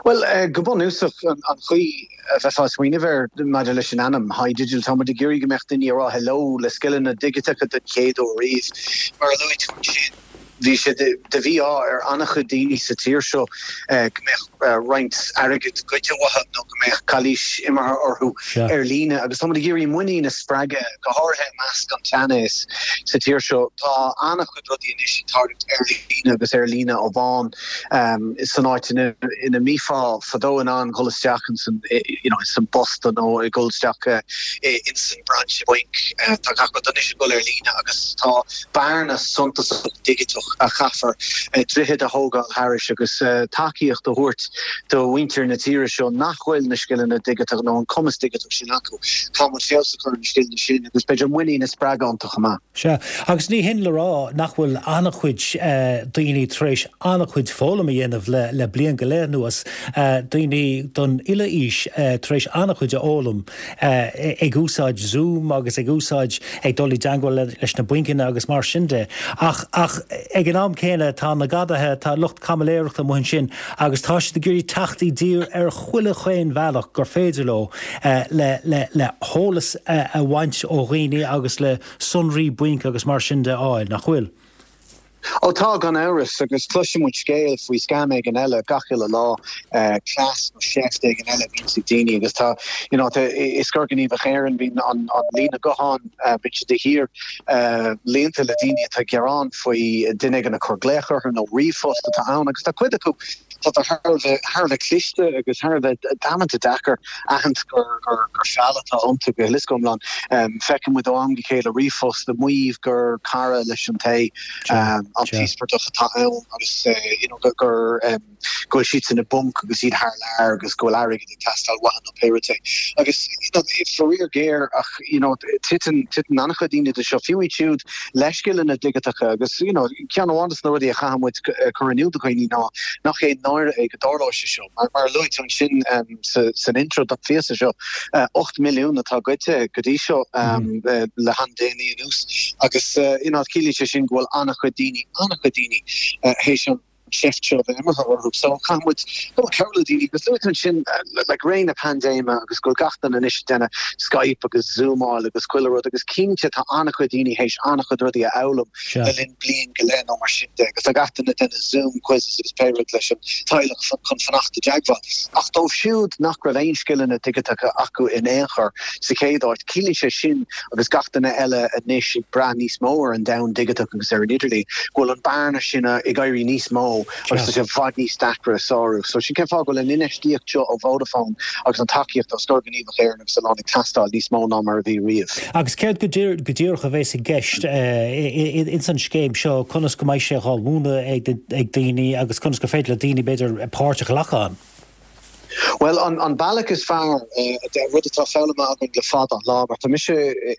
Bhuel, go bunúsach, an chaoi a bheifeá ag smaoineamh air maidir leis an ainm, Hi Digital, tá muid ag iarraidh go mbeadh daoine ag rá hello le scileanna digiteacha den chéad uair riamh. Mar a luaigh tú ansin, bhí sé de mhí-ádh ar an-chuid daoine sa tír seo go mbeadh roinnt airgid goidte uathu nó go mbeadh calaois imeartha orthu ar líne agus tá muid ag iarraidh muinín a spreagadh, go háirithe i measc an tseanaois sa tír seo. Tá an-chuid rudaí anois ag tarlúint ar líne agus ar líne amháin san áit ina mbífeá fadó in ann dhul isteach insan you know insan bposta nó ag dul isteach insan brainse bainc. Tá gach rud anois ag dul ar líne agus tá bearna suntasach digiteach a chaithfear droichead a thógáil thairis agus tacaíocht a thabhairt do mhuintir na tíre seo nach bhfuil na scileanna digiteacha nó an cumas digiteach sin acu. Caithfidh muid feabhas a chur ar na scileanna sin agus b'fhéidir muinín a spreagadh iontu chomh maith. Sea, agus ní hin le rá nach bhfuil an-chuid daoine tar éis an-chuid foghlaim a dhéanamh le le bliain go leith anuas, daoine den uile aois tar éis an-chuid a fhoghlaim ag úsáid Zoom agus ag úsáid, ag dul i dteangmháil leis na bainceanna agus mar sin de. Ach, ach ag an am céanna tá na gadaithe, tá lucht caimiléireachta amuigh ansin agus tá siad ag iarraidh teacht i dtír ar chuile chaon bhealach gur féidir leo le le le heolas a bhaint ó dhaoine agus le sonraí bainc agus mar sin de a fháil, nach bhfuil? Ó tá, gan amhras, agus cloiseann muid scéal faoi scam éigin eile gach uile lá, cleas nó seift éigin eile a bhíonns ag daoine agus tá, you know, tá, i Scor Gníomhach Éireann bíonn an líne gutháin, bíonn sé de shíor líonta le daoine atá ag gearán faoi duine éigin ag cur glaoch orthu nó ríomhphost atá ann agus tá cuid acu tá thar a bheith thar a bheith cliste agus thar a bheith damanta deacair aithint gur gur gur feall atá iontu go huile is go hiomlán. Feiceann muid ó am go chéile ríomhphost ag maíomh gur cara leis an té an t-íospartach atá ann agus you know gur gur go bhfuil siadsan i bponc agus iad thar lear agus go bhfuil airgead ag teastáil uathu nó pé rud é. Agus you know faraor géar ach you know titeann titeann an-chuid daoine de seo, fiú iad siúd le scileanna digiteacha agus you know ceann amháin de na rudaí a chaithfidh muid cur in iúl do dhaoine ná nach aon náire é go dtarlóidh sé seo. Mar mar a luaigh tú ansin san intro don phíosa seo, ocht milliún atá goidte go dtí seo le han-déanaí anuas agus you know ciallaíonn sé sin go bhfuil an-chuid daoine, an-chuid daoine théis an tseift seo a bheith imeartha orthu. So caithfidh muid dul cabhrú le daoine agus luaigh tú ansin like ré na paindéime agus go bhfuil gach duine anois ag déanamh Skype agus Zoomáil agus chuile rud agus cinnte tá an-chuid daoine théis an-chuid rudaí a fhoghlaim le linn bliain go leith nó mar sin de agus tá gach duine ag déanamh Zoom quizzes agus pé rud leis an teaghlach chun fanacht i dteagmháil. Ach dóibh siúd nach raibh aon scileanna digiteacha acu in aon chor sa chéad áit, ciallaíonn sé sin agus gach duine eile anois ag brath níos mó ar an domhan digiteach agus ar an idirlíon, go bhfuil an bearna sin ag éirí níos mó agus tá sé i bhfad níos deacra a sárú. So sin cén fáth go bhfuil an infheistíocht seo ó Vodafone agus an tacaíocht ó Scor Gníomhach Éireann agus Alone ag teastáil níos mó ná mar a bhí riamh. Agus céard go díreach a bheas i gceist ins an scéim seo, conas go mbeidh sé dhá mhúineadh ag daoine agus conas gur féidir le daoine b'fhéidir páirt a ghlacadh ann? Well an, an bealach is fearr uh, rud atá foghlamtha againn le fada an lá, mar tá mise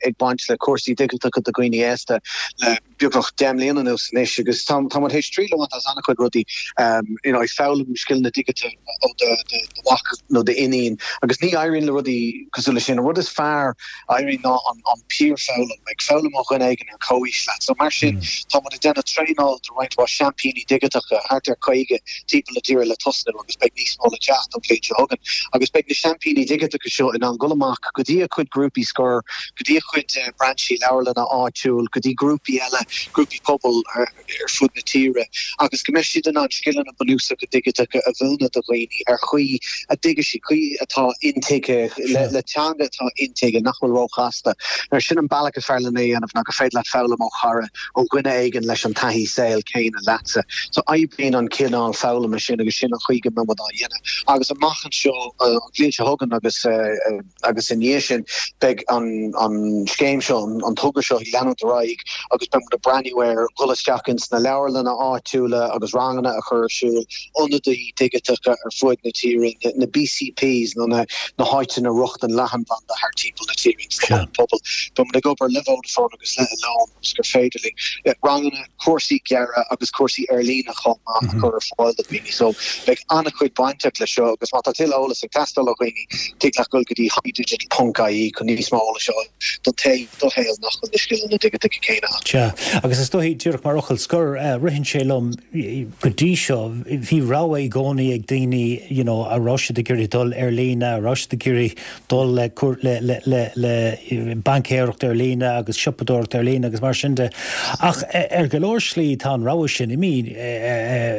ag baint le cúrsaí digiteacha do dhaoine aosta le beagnach deich mbliana anuas anois agus tá tá théis triail a bhaint as an-chuid rudaí um, you know, ag foghlaim scileanna digiteacha ó do do do mhac nó d'iníon agus ní éiríonn le rudaí cosúil leis sin an rud is fearr a éiríonn ná an, an peer foghlaim ag foghlaim ó dhuine éigin ar comhaois leat so mar sin mm. tá muid ag déanamh traenáil do roinnt mhaith seaimpíní digiteacha thart ar caoga timpeall na tíre le tosnú agus beidh níos mó le teacht an bhliain seo chugainn agus beidh na seaimpíní digiteacha seo in ann dul amach go dtí a cuid grúpaí scor go dtí a cuid eh, brainsí leabharlanna áitiúil go dtí grúpaí eile grúpaí pobail ar, ar fud na tíre agus go mbeidh siad in ann scileanna bunúsacha digiteacha a mhúineadh do dhaoine ar chaoi a dtuigfidh siad chaoi atá intuigthe le, le teanga atá intuigthe nach bhfuil róchasta. Mar sin an bealach is fearr lena dhéanamh ná go féidir leat foghlaim ó chara ó dhuine éigin leis an taithí saoil céanna leatsa. So oibríonn an cineál foghlama sin agus sin an chaoi go mbeidh muid á dhéanamh. Agus amach anseo uh, an bhliain seo chugainn agus uh, uh, agus ina dhiaidh sin beidh an, an scéim seo an, an togra seo ag leanúint ar aghaidh agus beidh muid ag breathnú ar dhul isteach ins na leabharlanna áitiúla agus ranganna a chur ar siúl ionadaí digiteacha ar fud na tíre na, na BCPs nó na, na háiteanna rochtain leathanbhanda thar timpeall na tíre sna pobal. Beidh muid ag obair le Vodafone agus le Alone agus gur féidir linn eh, ranganna cúrsaí gearra agus cúrsaí ar líne chomh maith a chur ar fáil do dhaoine. So beidh an-chuid bainteach le seo agus má tá tuilleadh eolas ag teastáil ó dhaoine tig leat dul go dtí hidigital.ie chun níos mó eolais a fháil don té do shaol nach bhfuil na scileanna digiteacha céanna. Sea, agus is dóigh díreach mar fhocal scoir uh, ritheann sé liom go dtí seo bhí rogha i gcónaí ag daoine you know, a raibh siad ag iarraidh dul ar líne, a raibh siad ag iarraidh dul le, le, le, le, le baincéireacht ar líne agus siopadóireacht ar líne agus mar sin de. Ach ar go leor slí tá an rogha sin imithe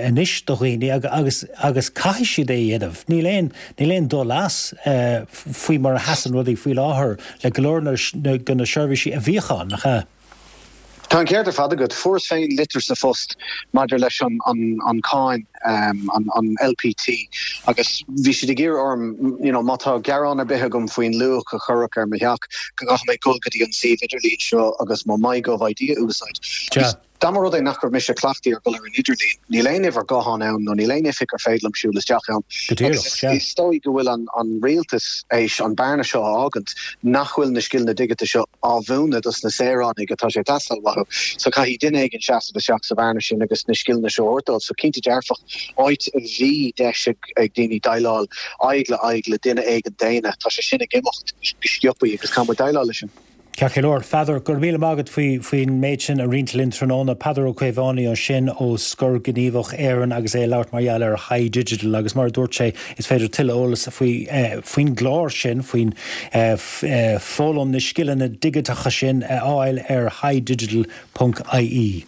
anois do dhaoine agus agus caithfidh siad é dhéanamh. Níl aon níl aon dul as faoi mar a sheasann rudaí faoi láthair le go leor de na seirbhísí a bhíodh ann nach ea. Tá an ceart ar fad agat fuaireas féin litir sa phost maidir leis an an, an cáin um, an, an LPT agus bhí siad ag iarraidh orm you know, má tá gearán ar bith agam faoin luach a cuireadh ar mo theach go gcaithfidh mé dul go dtí an suíomh idirlín seo agus mo MyGovID a úsáid. Ja. Dá mba rud é nach raibh mise cleachtaithe ar dul ar an idirlíon, níl aon uimhir gutháin ann nó níl aon oifig ar féidir liom siúl isteach ann. Is dóigh go bhfuil an, an rialtas éis an bearna seo a fhágaint nach bhfuil na scileanna digiteacha seo á mhúineadh dos na saoránaigh atá sé ag teastáil uathu. So caithfidh duine éigin seasamh isteach sa bhearna sin agus na scileanna seo a thabhairt. So cinnte dearfach áit a bhí deis ag daoine déileáil aghaidh le aghaidh le duine éigin daonna tá sé sin ag imeacht go sciobtha agus caithfidh muid déileáil leis sin. Ceart go leor Peadar go raibh míle maith agat faoi faoin méid sin a roinnt linn tráthnóna Peadar Ó Caomhánaigh ansin ó Scor Gníomhach Éireann agus é ag labhairt mar gheall ar Hi Digital agus mar a dúirt sé is féidir tuilleadh eolas faoi eh, faoin gclár sin faoin eh, eh, foghlaim na scileanna digiteacha sin a fháil ar hidigital.ie.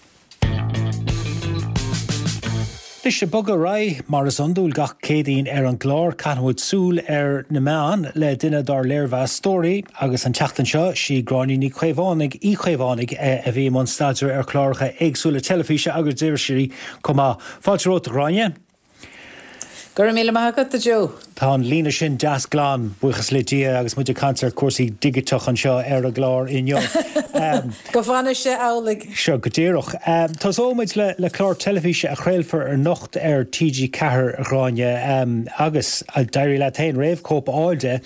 Anois ag bogadh ar aghaidh mar is iondúil gach Céadaoin ar an gclár caithfimid súil ar na meáin le duine dár léirmheastóirí agus an tseachtain seo sí Gráinne Ní Chaomhánaigh Uí Chaomhánaigh a bhí i mbun staidéir ar chláracha éagsúla teilifíse agus d'irisí chomh maith. Fáilte romhat a Ghráinne? Go raibh míle maith agat a Joe. Tá an líne sin deas glan buíochas le Dia agus muid ag caint ar cúrsaí digiteach anseo ar an gclár inniu. Um, Go bhfana sé amhlaidh. Seo go díreach. Um, Tosóimid le, le clár teilifíse a chraolfar anocht ar TG Ceathair Ghráinne um, agus a d'éirigh leat féin réamhchóip a fháil de,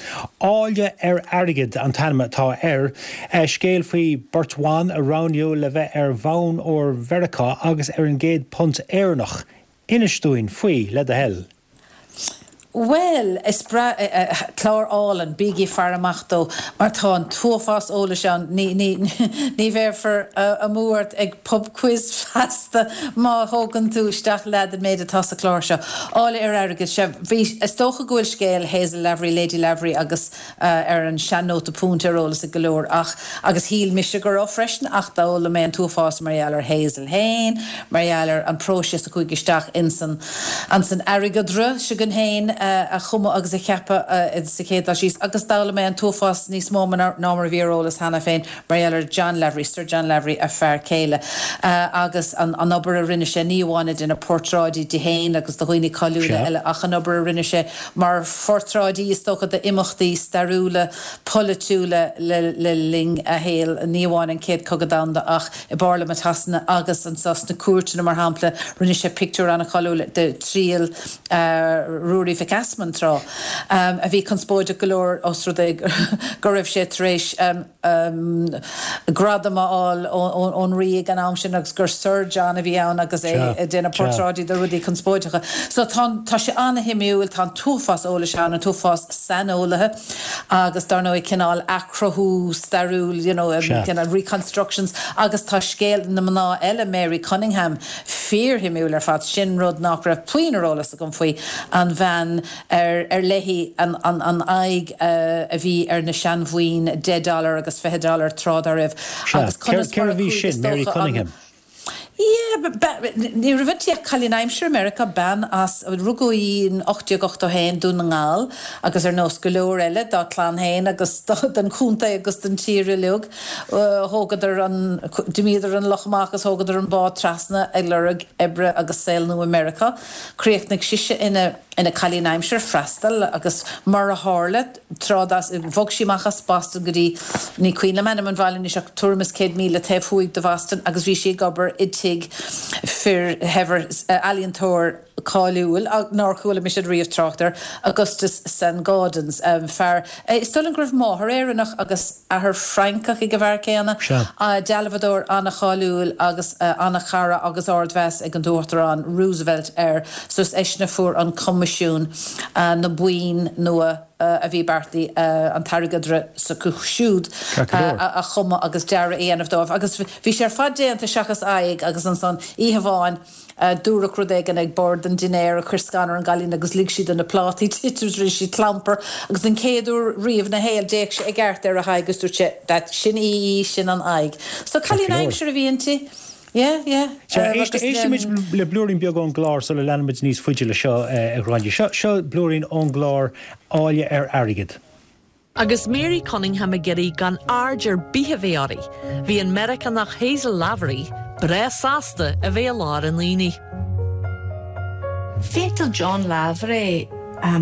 Áille ar Airgead an t-ainm atá air, uh, scéal faoi bheirt bhan a roghnaíodh le bheith ar bhonn óir Mheiriceá agus ar an gcéad punt Éireannach. Inis dúinn faoi le do thoil. Well, is breá uh, uh, clár álainn bígí ag faire amach dó mar tá an t-uafás eolais ann ní, ní, ní bheifear uh, amú ort ag pub quiz feasta má thógann tú isteach leat an méid atá sa chlár seo. Áille ar airgead sé bhí is dócha go bhfuil scéal Hazel Lavery, Lady Lavery agus uh, ar an sean-nóta punt ar eolas ag go leor ach agus shíl mise go raibh freisin ach d'fhoghlaim mé an t-uafás mar gheall ar Hazel féin, mar gheall ar an próiseas a chuaigh isteach insan an san airgeadra s'againn féin uh, a chumadh agus a cheapadh uh, sa chéad dul síos agus d'fhoghlaim mé an t-uafás níos mó ná mar a bhí ar eolas cheana féin mar gheall ar John Lavery, Sir John Lavery a fear céile uh, agus an, an obair a rinne sé ní amháin ag déanamh portráidí de féin agus de dhaoine cáiliúla eile ach an obair a rinne sé mar phortráidí is dócha d'imeachtaí stairiúla polaitiúla le, le linn a shaoil ní amháin an chéad chogadh domhanda ach i bParlaimint Shasana agus anseo sna cúirteanna mar shampla rinne sé pictiúr an-cháiliúil de triail uh, Ruairí Mhic Mhic Easmainn tráth, a bhí conspóideach go leor os rud é go raibh sé tar éis gradam a fháil ón Rí ag an am sin agus gur Sir John a bhí ann agus é ag déanamh portráidí de rudaí conspóideacha. So tá tá sé an-shuimiúil, tá an t-uafás eolais ann, an t-uafás saineolaithe agus dar ndóigh cineál athchruthú stairiúil, you know, cineál reconstructions agus tá scéal na mná eile, Mary Cunningham, fíorshuimiúil ar fad. Sin rud nach raibh puinn ar eolas agam faoi, an bhean ar ar léi an an an aghaidh a bhí ar na seanbhoinn deich dollar agus fiche dollar tráth dá raibh agus conas mar a chuaigh is dócha an Yeah, ní raibh inti ach cailín aimsire i Meiriceá, bean as, rugadh í in ocht déag ochtó a haon, Dún na nGall, agus ar nós go leor eile dá clann féin agus den chontae agus den tír uilig, thógadar an, d'imíodar an loch amach agus thógadar an bád trasna ag lorg oibre agus saol nua i Meiriceá. Chríochnaigh sise ina. ina cailín aimsire freastail agus mar a tharla, tráth dá, bhog sí amach as Boston go dtí, ní cuimhin liom ainm an bhaile anois ach tuairim is céad míle taobh thuaidh de Bhoston agus bhí sí ag obair i dtigh fir shaibhir, ealaíontóir cáiliúil nár chuala mise riamh trácht air, Augustus Saint-Gaudens, fear, is dóigh liom go raibh máthair Éireannach agus athair Francach ag an bhfear céanna, dealbhadóir an-cháiliúil agus an-chara agus ardmheas ag an Uachtarán Roosevelt air, so is eisean a fuair an coimisiún na boinn nua a bhí beartaithe an t-airgeadra s'acu siúd a chumadh agus dearadh a dhéanamh dóibh. Agus bhí sé ar fad déanta seachas aghaidh agus ansan oíche amháin dúradh rud éigin ag bord an dinnéir a chuir scanradh ar an gcailín agus lig sí de na plátaí titim rinne sí clampar agus den chéad uair riamh ina shaol d'fhéach sé i gceart ar a haghaidh agus dúirt sé that sin í í sin an aghaidh. So cailín aimsire a bhí inti. Yeah, yeah. Sea, éistfimid le blúirín beag ón gclár sula leanfaimid níos faide le seo, a Ghráinne. Seo, seo blúirín ón gclár Áille ar Airgead. Agus Mary Cunningham ag iarraidh gan aird ar bith a bheith uirthi, bhí an Meiriceánach Hazel Lavery breá sásta a bheith i lár an aonaigh. Phéinteáil John Lavery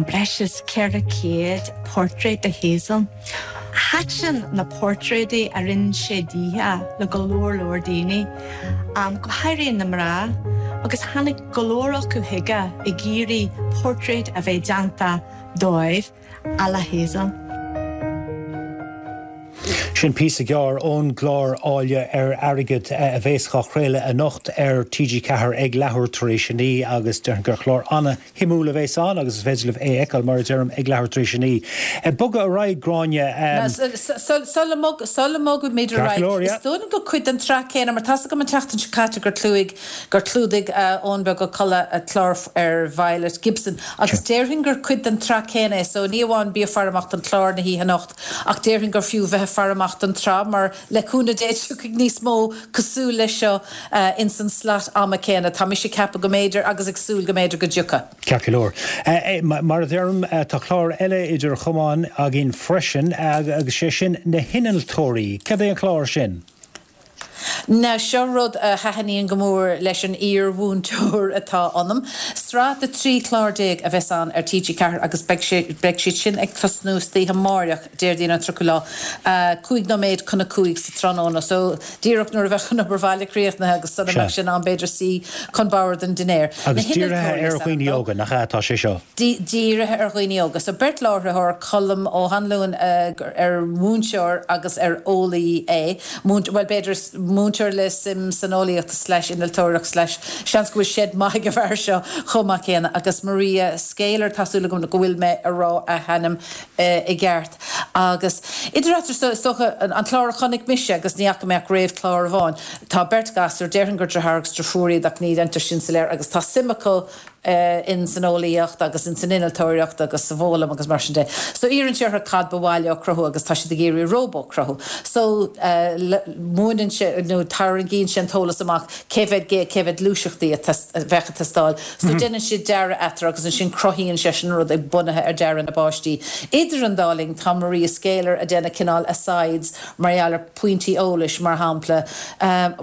breis is ceithre chéad portráid de Hazel. Thaitin na portráidí a rinne sé dithe le go leor leor daoine, go háirithe na mná, agus tháinig go leor acu chuige ag iarraidh portráid a bheith déanta dóibh. à la Hazel. Sin píosa gearr ón gclár Áille ar Airgead a bheas á chraoladh anocht ar T G ceathair ag leathuair tar éis a naoi agus déarfainn gur chlár ana-shuimiúil a bheas ann agus is féidir libh é a fheiceáil, mar a deirim, ag leathuair tar éis a naoi. Ag bogadh ar aghaidh, Gráinne. Sula mbogaimid ar aghaidh, is dóigh liom gur cuid den tsraith céanna, mar tá's agam an tseachtain seo caite gur chlúdaigh gur chlúdaigh Eoin Beag Ó Colla clár ar Violet Gibson agus déarfainn gur cuid den tsraith céanna é so ní amháin bí ag faire amach don chlár na hoíche anocht ach déarfainn gur fiú bheith ag faire amach don tsraith mar le cúnamh Dé tiocfaidh níos mó cosúil leis seo ins an slat ama céanna. Tá mise ag ceapadh go mb'fhéidir agus ag súil go mb'fhéidir go dtiocfaidh. Ceart go leor. Mar a deirim, tá clár eile idir chamáin againn freisin agus sé sin Na hInnealtóirí. Cad é an clár sin? Now seo rud a thaitníonn go mór leis an iar-mhúinteoir atá ionam. Sraith de trí chlár déag a bheas ann ar T G ceathair agus beidh sé, beidh siad sin ag tosnú istoíche amáireach, Déardaoin an tríochadú lá, cúig nóiméad chun a cúig sa tráthnóna. So díreach nuair a bheadh an obair bhaile críochnaithe agus sula mbeadh sé in am b'fhéidir suí chun boird an dinnéir. Na Agus dírithe hInnealtóirí ar is ainm dhaoine dó. óga, nach ea atá sé seo? Dírithe ar dhaoine óga. So beirt láithreoir, Colm Ó hAnluain ar mhúinteoir agus ar eolaí é, bhuel b'fhéidir múinteoir le suim san eolaíocht slash innealtóireacht slash seans go bhfuil seit maith ag an bhfear seo chomh maith céanna agus Maria Scaler, tá súil agam go bhfuil mé a rá a hainm i gceart. Agus idir eatarthu, is dócha, an clár a chonaic mise agus ní fhaca mé ach réamhchlár amháin, tá beirt ghasúr, déarfainn gur deartháir agus deirfiúr iad ach ní deintear sin soiléir agus tá suim acu in san eolaíocht agus in san innealtóireacht agus sa bhfoghlaim agus mar sin de. So iarrann sé orthu cad ba mhaith leo cruthú agus tá siad ag iarraidh róbó a chruthú. So múineann sé nó tarraingíonn sé an t-eolas amach cé mhéad cé mhéad gluaiseachtaí a bheadh ag teastáil. So déanann siad dearadh eatarthu agus ansin cruthaíonn seisean an rud ag bunaithe ar dearadh na bpáistí. Idir an dá linn tá Maria Scaler ag déanamh cineál asides mar gheall ar pointí eolais mar shampla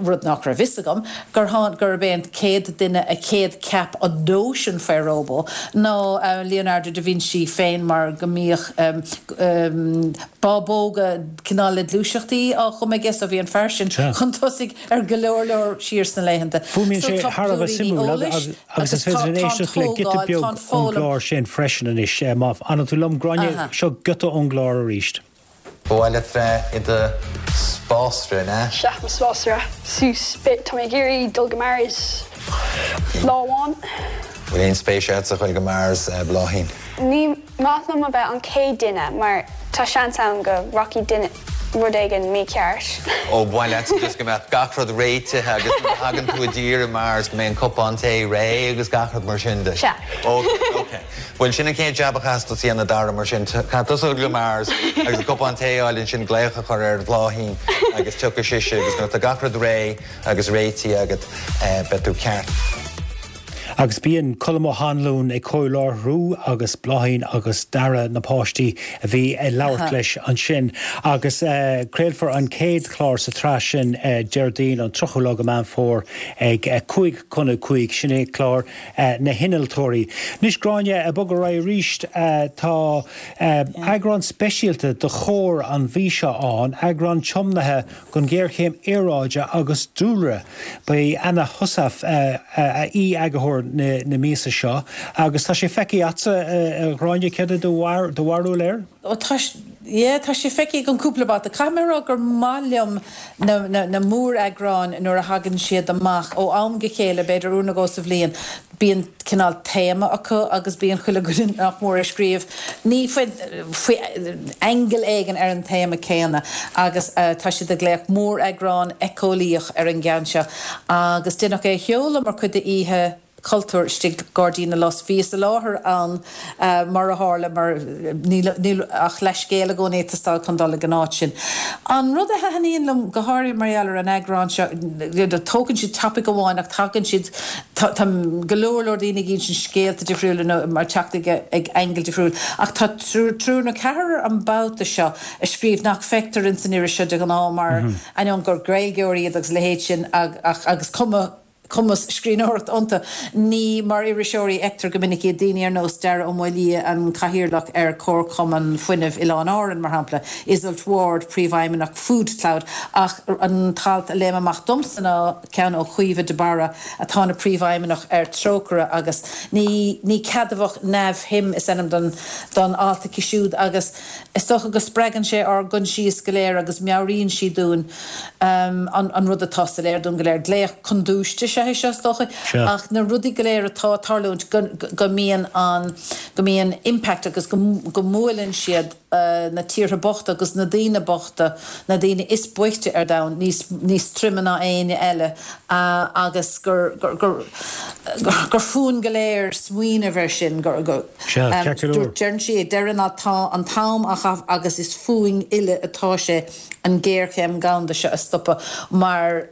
rud nach raibh fhios agam gur gurb é an chéad duine a chéad cheap an nóis nóisean faoi róbó ná Leonardo da Vinci féin mar go mbíodh bábóga cineál le gluaiseachtaí á chumadh aige so bhí an fear sin chun tosaigh ar go leor leor siar sna laethanta. Fuaimníonn sé thar a bheith suimiúil agus is féidir éisteacht le giota beag ón gclár sin freisin anois. Má fhanann tú liom Gráinne, seo giota ón gclár arís. Ba mhaith leat bheith i do spásaire, an ea? Sea, mo spásaire. Suas, tá mé ag iarraidh dul go Mars lá amháin. Bhfuil aon spéis agat a dhul go Mars, Bláithín? Ní maith liom a bheith an chéad duine mar tá seans ann go rachaidh duine rud éigin mícheart. Ó ba mhaith leat just go mbeadh gach rud réitithe agus nuair a thagann tú i dtír i Mars go mbeidh an cupán tae réidh agus gach rud mar sin de. Sea. Ok, ok. Bhuel sin an chéad jab a chaithfeas tú a dhéanamh Dara mar sin. Caithfidh tusa dul go Mars agus an cupán tae a fháil ansin glaoch a chur ar Bhláithín agus tiocfaidh sise agus nuair atá gach rud réidh agus réitithe agat beidh tú ceart. Agus bíonn Colm Ó hAnluain ag comhláithriú agus Bláithín agus Dara na páistí a bhí ag labhairt leis ansin. Agus craolfar an chéad chlár sa tsraith sin Déardaoin an tríochadú lá de Mheán Fómhair ag cúig chun a cúig, sin é clár na hinnealtóirí. Anois Gráinne, ag bogadh ar aghaidh arís, tá eagrán speisialta de Chomhar an mhí seo ann, eagrán tiomnaithe don ghéarchéim aeráide agus dúlra. Ba í Anna Heussaff aoi-eagarthóir na míosa seo agus tá sé feicthe agatsa a Ghráinne, céard é do bharúil air? Ó tá yeah, tá sé feicthe agam cúpla babhta. Caithfidh mé a rá gur maith liom na, na, na móreagráin nuair a thagann siad amach ó am go chéile, b'fhéidir uair nó dhó sa bhliain. Bíonn cineál téama acu agus bíonn chuile dhuine nach mór ag scríobh ní faoi, faoi angle éigin ar an téama céanna agus uh, tá siad ag glaoch móreagrán éiceolaíoch ar an gceann seo agus deineadh é a sheoladh mar chuid d'oíche cultúir istigh Gairdín na Lus. Bhíos i láthair ann mar a tharla mar níl níl ach leithscéal i gcónaí ag teastáil chun dul ag an áit sin. An rud a thaitníonn liom go háirithe mar gheall ar an eagrán seo, tógann siad topaic amháin ach tagann siad tá go leor leor daoine ag insint scéalta difriúla nó mar teacht ag ag angle difriúil ach tá triúr triúr nó ceathrar an babhta seo a scríobh nach feictear ins an iris seo de ghnáth mar ainneoin gur Gaeilgeoirí iad agus a leithéid sin ach agus cuma cumas scríbhneoireachta iontu. Ní mar iriseoirí a fheictear go minic iad, daoine ar nós Dara Ó Maolaodha, an Cathaoirleach ar Chomharchumann Fuinnimh Oileáin Árann, mar shampla, Iseult Ward, Príomhfheidhmeannach FoodCloud, ach an t-alt a léim amach domsa ná ceann ó Chaoimhe de Barra atá ina Príomhfheidhmeannach ar Trócaire agus ní ní ceadmhach neamhshuim is ainm don don alt aici siúd agus is dócha go spreagann sé ár gcoinsias go léir agus meabhraíonn sí dúinn an rud atá soiléir dúinn go léir, glaoch chun dúiste is ea é seo, is dócha, ach na rudaí go léir atá ag tarlúint, go mbíonn an, go mbíonn impact agus go mbuaileann siad na tíortha bochta agus na daoine bochta, na daoine is boichte ar domhan níos, níos troime ná éinne eile agus gur, gur, gur, gur fúinn go léir smaoineamh air sin, gur, gur, deireann sí ag deireadh an ailt, tá an t-am á chaitheamh agus is fúinn uile atá sé an ghéarchéim dhomhanda seo a stopadh mar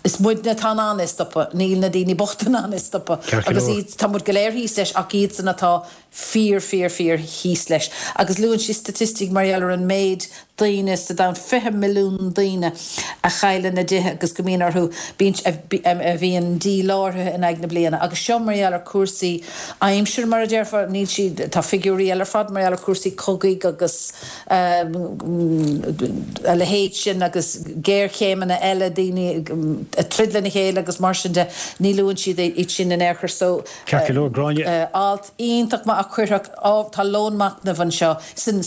is muidne atá in ann é a stopadh, níl na daoine bochta in ann é a stopadh agus iad, tá muid go léir thíos leis ach iadsan atá fíor, fíor, fíor thíos leis. Agus luann sí staitistic mar gheall ar an méid daoine sa domhan, fiche milliún daoine a chailleann a dtithe agus go mbíonn orthu, bíonn, a bhíonn díláithrithe in aghaidh na bliana. Agus seo mar gheall ar chúrsaí aimsire, mar a déarfá, níl sí, tá figiúirí eile ar fad mar gheall ar chúrsaí cogaidh agus a leithéid sin agus géarchéimeanna eile, daoine ag troid lena chéile agus mar sin de, ní luann siad iad sin in aon chor. So, Ceart go leor, Gráinne. alt iontach maith a chuirfeadh, tá lón machnaimh anseo san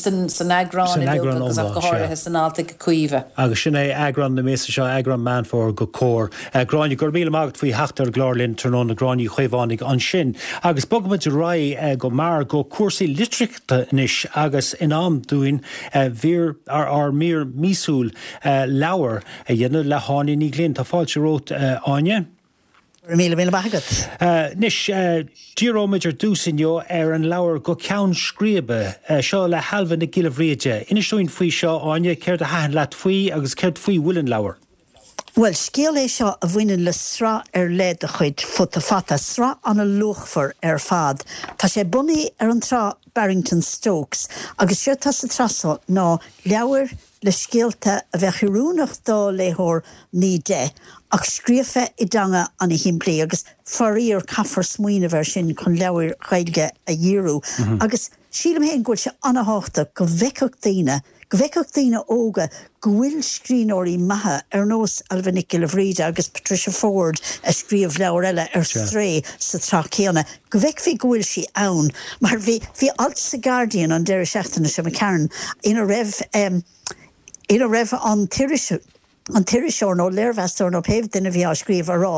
eagrán uilig agus ach go háirithe san alt ag Caoimhe. Agus sin é eagrán na míosa seo, eagrán Meán Fómhair de Comhar. Gráinne, go raibh míle maith agat faoi theacht ar an gclár linn tráthnóna, Gráinne Uí Chaomhánaigh ansin. Agus bogfaimid ar aghaidh go mear go cúrsaí litríochta anois agus in am dúinn mhír, ár mír míosúil leabhar a dhéanamh le hÁine Ní Ghlinn. Tá fáilte romhat, Áine. Go raibh míle míle maith agat. Anois, díreoimid ar dtús inniu ar an leabhar Go Ceann Scríbe, seo le hAilbhe Nic Giolla Bhríde. Inis dúinn faoi seo, Áine, céard a thaitin leat faoi agus céard faoi bhfuil an leabhar? Bhuel, scéal é seo a bhaineann le sraith ar leith de chuid Futa Fata, sraith an-luachmhar ar fad. Tá sé bunaithe ar an tsraith Barrington Stokes agus séard atá sa tsraith seo ná leabhair le scéalta a bheadh oiriúnach do léitheoir naoi deich ach scríofa i dteanga an-shimplí agus faraor caithfear smaoineamh air sin chun leabhair Ghaeilge a dhíriú agus sílim féin go bhfuil sé an-thábhachtach go bhfeicfeadh daoine, go bhfeicfeadh daoine óga go bhfuil scríbhneoirí maithe ar nós Ailbhe Nic Giolla Bhríde agus Patricia Forde a scríobh leabhar eile ar Strae sa tsraith chéanna, go bhfeicfí go bhfuil sí ann mar bhí bhí alt sa Guardian an deireadh seachtaine seo McCarran ina raibh ina raibh an t-iriseoir an t-iriseoir nó léirmheastóir nó pé duine a bhí á scríobh a rá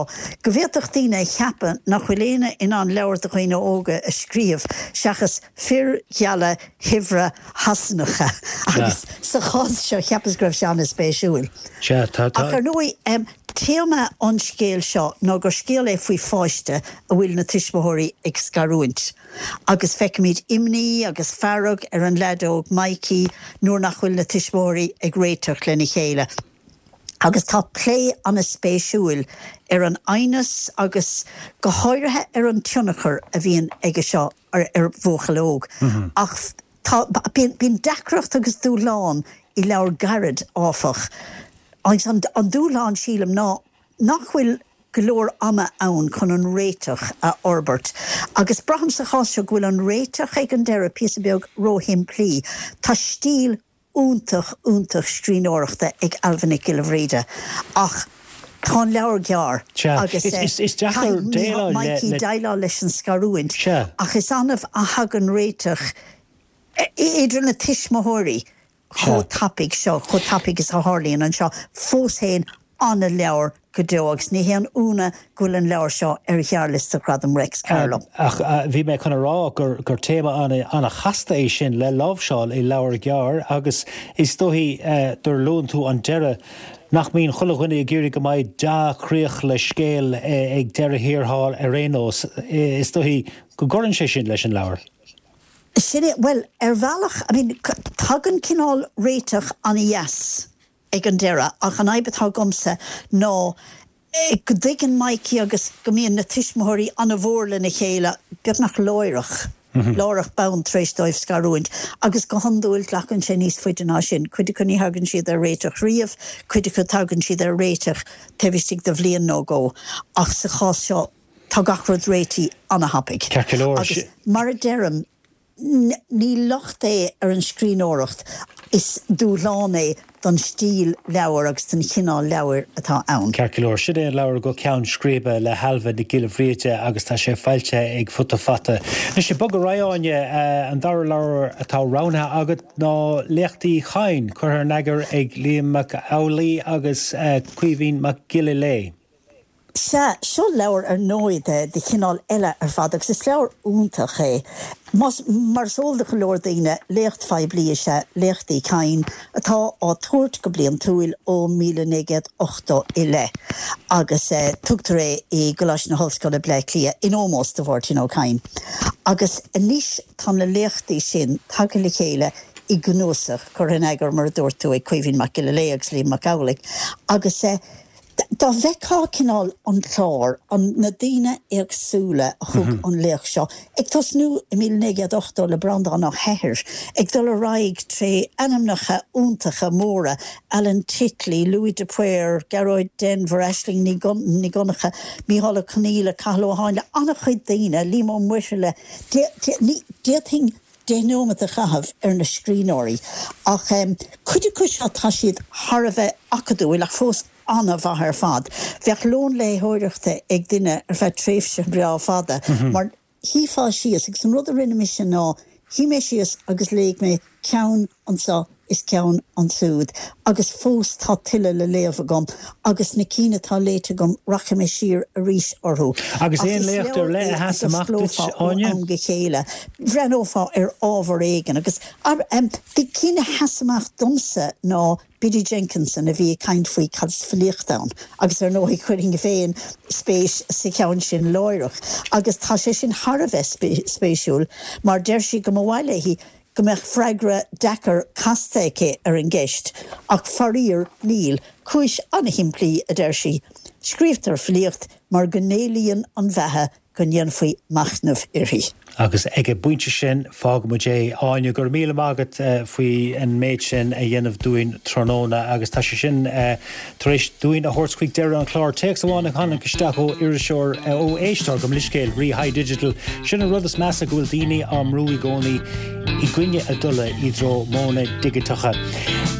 go bhféadfadh daoine a cheapadh nach bhfuil éinne in ann leabhar do dhaoine óga a scríobh seachas fir gheala shaibhre Shasanacha agus sa chás seo cheapas go raibh sé an-spéisiúil. Ach ar ndóigh, téama an scéil seo ná gur scéal é faoi pháiste a bhfuil na tuismitheoirí ag scarúint agus feicimid imní agus fearg ar an leaid óg Mikey nuair nach bhfuil na tuismitheoirí ag réiteach lena chéile. Agus tá plé an-spéisiúil ar an aighneas agus go háirithe ar an tionchar a bhíonn aige seo ar bhuachaill óg. Ach tá, bíonn deacracht agus dúshlán i leabhar gairid, áfach. Agus an dúshlán, sílim, ná nach bhfuil go leor ama ann chun an réiteach a fhorbairt. Agus braithim sa chás seo go bhfuil an réiteach ag an deireadh píosa beag róshimplí. Tá stíl iontach, iontach scríbhneoireachta ag Ailbhe Nic Giolla Bhríde ach tá an leabhar gearr agus caithfidh Mikey déileáil leis an scarúint ach is annamh a thagann réiteach idir na tuismitheoirí chomh tapaidh seo, chomh tapaidh is a tharlaíonn anseo. Fós féin, an-leabhar go deo agus ní haon ionadh go bhfuil an leabhar seo ar ghearrliosta Ghradam Réics Carló. Ach bhí mé chun a rá gur gur téama an-chasta é sin le láimhseáil i leabhar gearr agus is dóichí gur luann tú an deireadh nach mbíonn chuile dhuine ag iarraidh go mbeidh dea-chríoch le scéal ag deireadh thiar thall ar aon nós. Is dóichí go gcuireann sé sin leis an leabhar. Sin é, bhuel, ar bhealach, I mean, tagann cineál réiteach an-dheas ag an deireadh ach an fhadhb atá agamsa ná go dtuigeann Mikey agus go mbíonn na tuismitheoirí an-mhór lena chéile beagnach láithreach, láithreach bonn tar éis dóibh scarúint agus go hiondúil glacann sé níos faide ná sin. Cuid acu ní thagann siad ar réiteach riamh, cuid acu tagann siad ar réiteach taobh istigh de bhliain nó dhó ach sa chás seo tá gach rud réitithe an-thapaidh. Ceart go leor. Agus mar a deirim, Ní locht é ar an scríbhneoireacht, is dúshlán é don stíl leabhair agus don chineál leabhair atá ann. Ceart go leor, sin é an leabhar Go Ceann Scríbe le hAilbhe Nic Giolla Bhríde agus tá sé foilsithe ag Futa Fata. Anois, ag bogadar ar aghaidh, Áine, an dara leabhar atá roghnaithe agat ná Léacht Uí Chadhain, curtha in eagar ag Liam Mac Amhlaigh agus Caoimhín Mac Giolla Léith. Sea, seo leabhar ar ndóigh de chineál eile ar fad agus is leabhar iontach é. Más, mar is eol do go leor daoine, léacht phoiblí is ea Léacht Uí Chadhain atá á tabhairt go bliantúil ó míle naoi gcéad ochtó i leith agus tugtar é i gColáiste na hOllscoile, Bleá Cliath, in ómós do Mháirtín Ó Cadhain. Agus anois tá na léachtaí sin tagtha le chéile i gcnuasach, curtha in eagar, mar a dúirt tú, ag Caoimhín Mac Giolla Léith agus Liam Mac Amhlaigh agus. Dá bhfeictheá cineál an clár, an, na daoine éagsúla a thug an léacht seo, ag tosnú i míle naoi gcéad ochtó le Breandán Ó hEithir, ag dul ar aghaidh tré ainmneacha iontacha móra, Alan Titley, Louis de Paor, Gearóid Denvir, Aisling Ní Dhonncha, Mícheál Ó Conghaile, Cathal Ó Háinle, an-chuid daoine, Liam Ó Muirthile, d'fhéadfainn deich nóiméad a chaitheamh ar na scríbhneoirí ach cuid acu seo tá siad thar a bheith acadúil ach fós an-mhaith ar fad. Bheadh lón léitheoireachta ag duine ar feadh tréimhse bhreá fada mar shuífeá síos agus an rud a rinne mise ná shuigh mé síos agus léigh mé ceann anseo is ceann ansúd agus fós tá tuilleadh le léamh agam agus na cinn atá léite agam rachaidh mé siar arís orthu. Agus Ach aon is léacht ar leabhar leith é a a sheas amach duit, d'osclófá ó Áine? am go chéile. Bhreathnófá ar ábhar éigin agus na cinn a sheas amach domsa ná Biddy Jenkinson a bhí ag caint faoi cad is filíocht ann agus ar ndóigh chuirfinn féin spéis sa cheann sin láithreach agus tá sé sin thar a bheith spéisiúil mar deir sí go mba mhaith léi go mbeadh freagra deacair casta aici ar an gceist ach faraor níl. Cúis an-shimplí, a deir sí. Scríobhtar filíocht mar go n-éalaíonn an bheatha go ndéanfaí machnamh uirthi. Agus ag an bpointe sin, fágfaimid é. Áine, go raibh míle maith agat faoi an méid sin a dhéanamh dúinn tráthnóna agus tá sé sin tar éis dúinn a thabhairt chuig deireadh an chláir. Téacs amháin a tháinig isteach ó iriseoir, ó éisteoir, gabh mo leithscéal, Rí High Digital. Sin an rud is measa go bhfuil daoine á mbrú i gcónaí i gcoinne a dtola i dtreo modhanna digiteacha.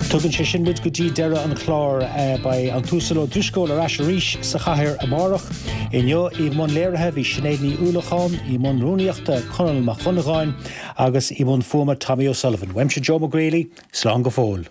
Tugann sé sin muid go dtí deireadh an chláir. Beidh an tUasal Ó Drisceoil ar ais arís sa chathaoir amárach. Inniu i mbun léirithe bhí Sinéad Ní Uallacháin, i mbun rúnaíochta Conall Mac Dhonnagáin agus i mbun fuaime Tommy O'Sullivan. Uaimse Joe Mac Greally, slán go fóill.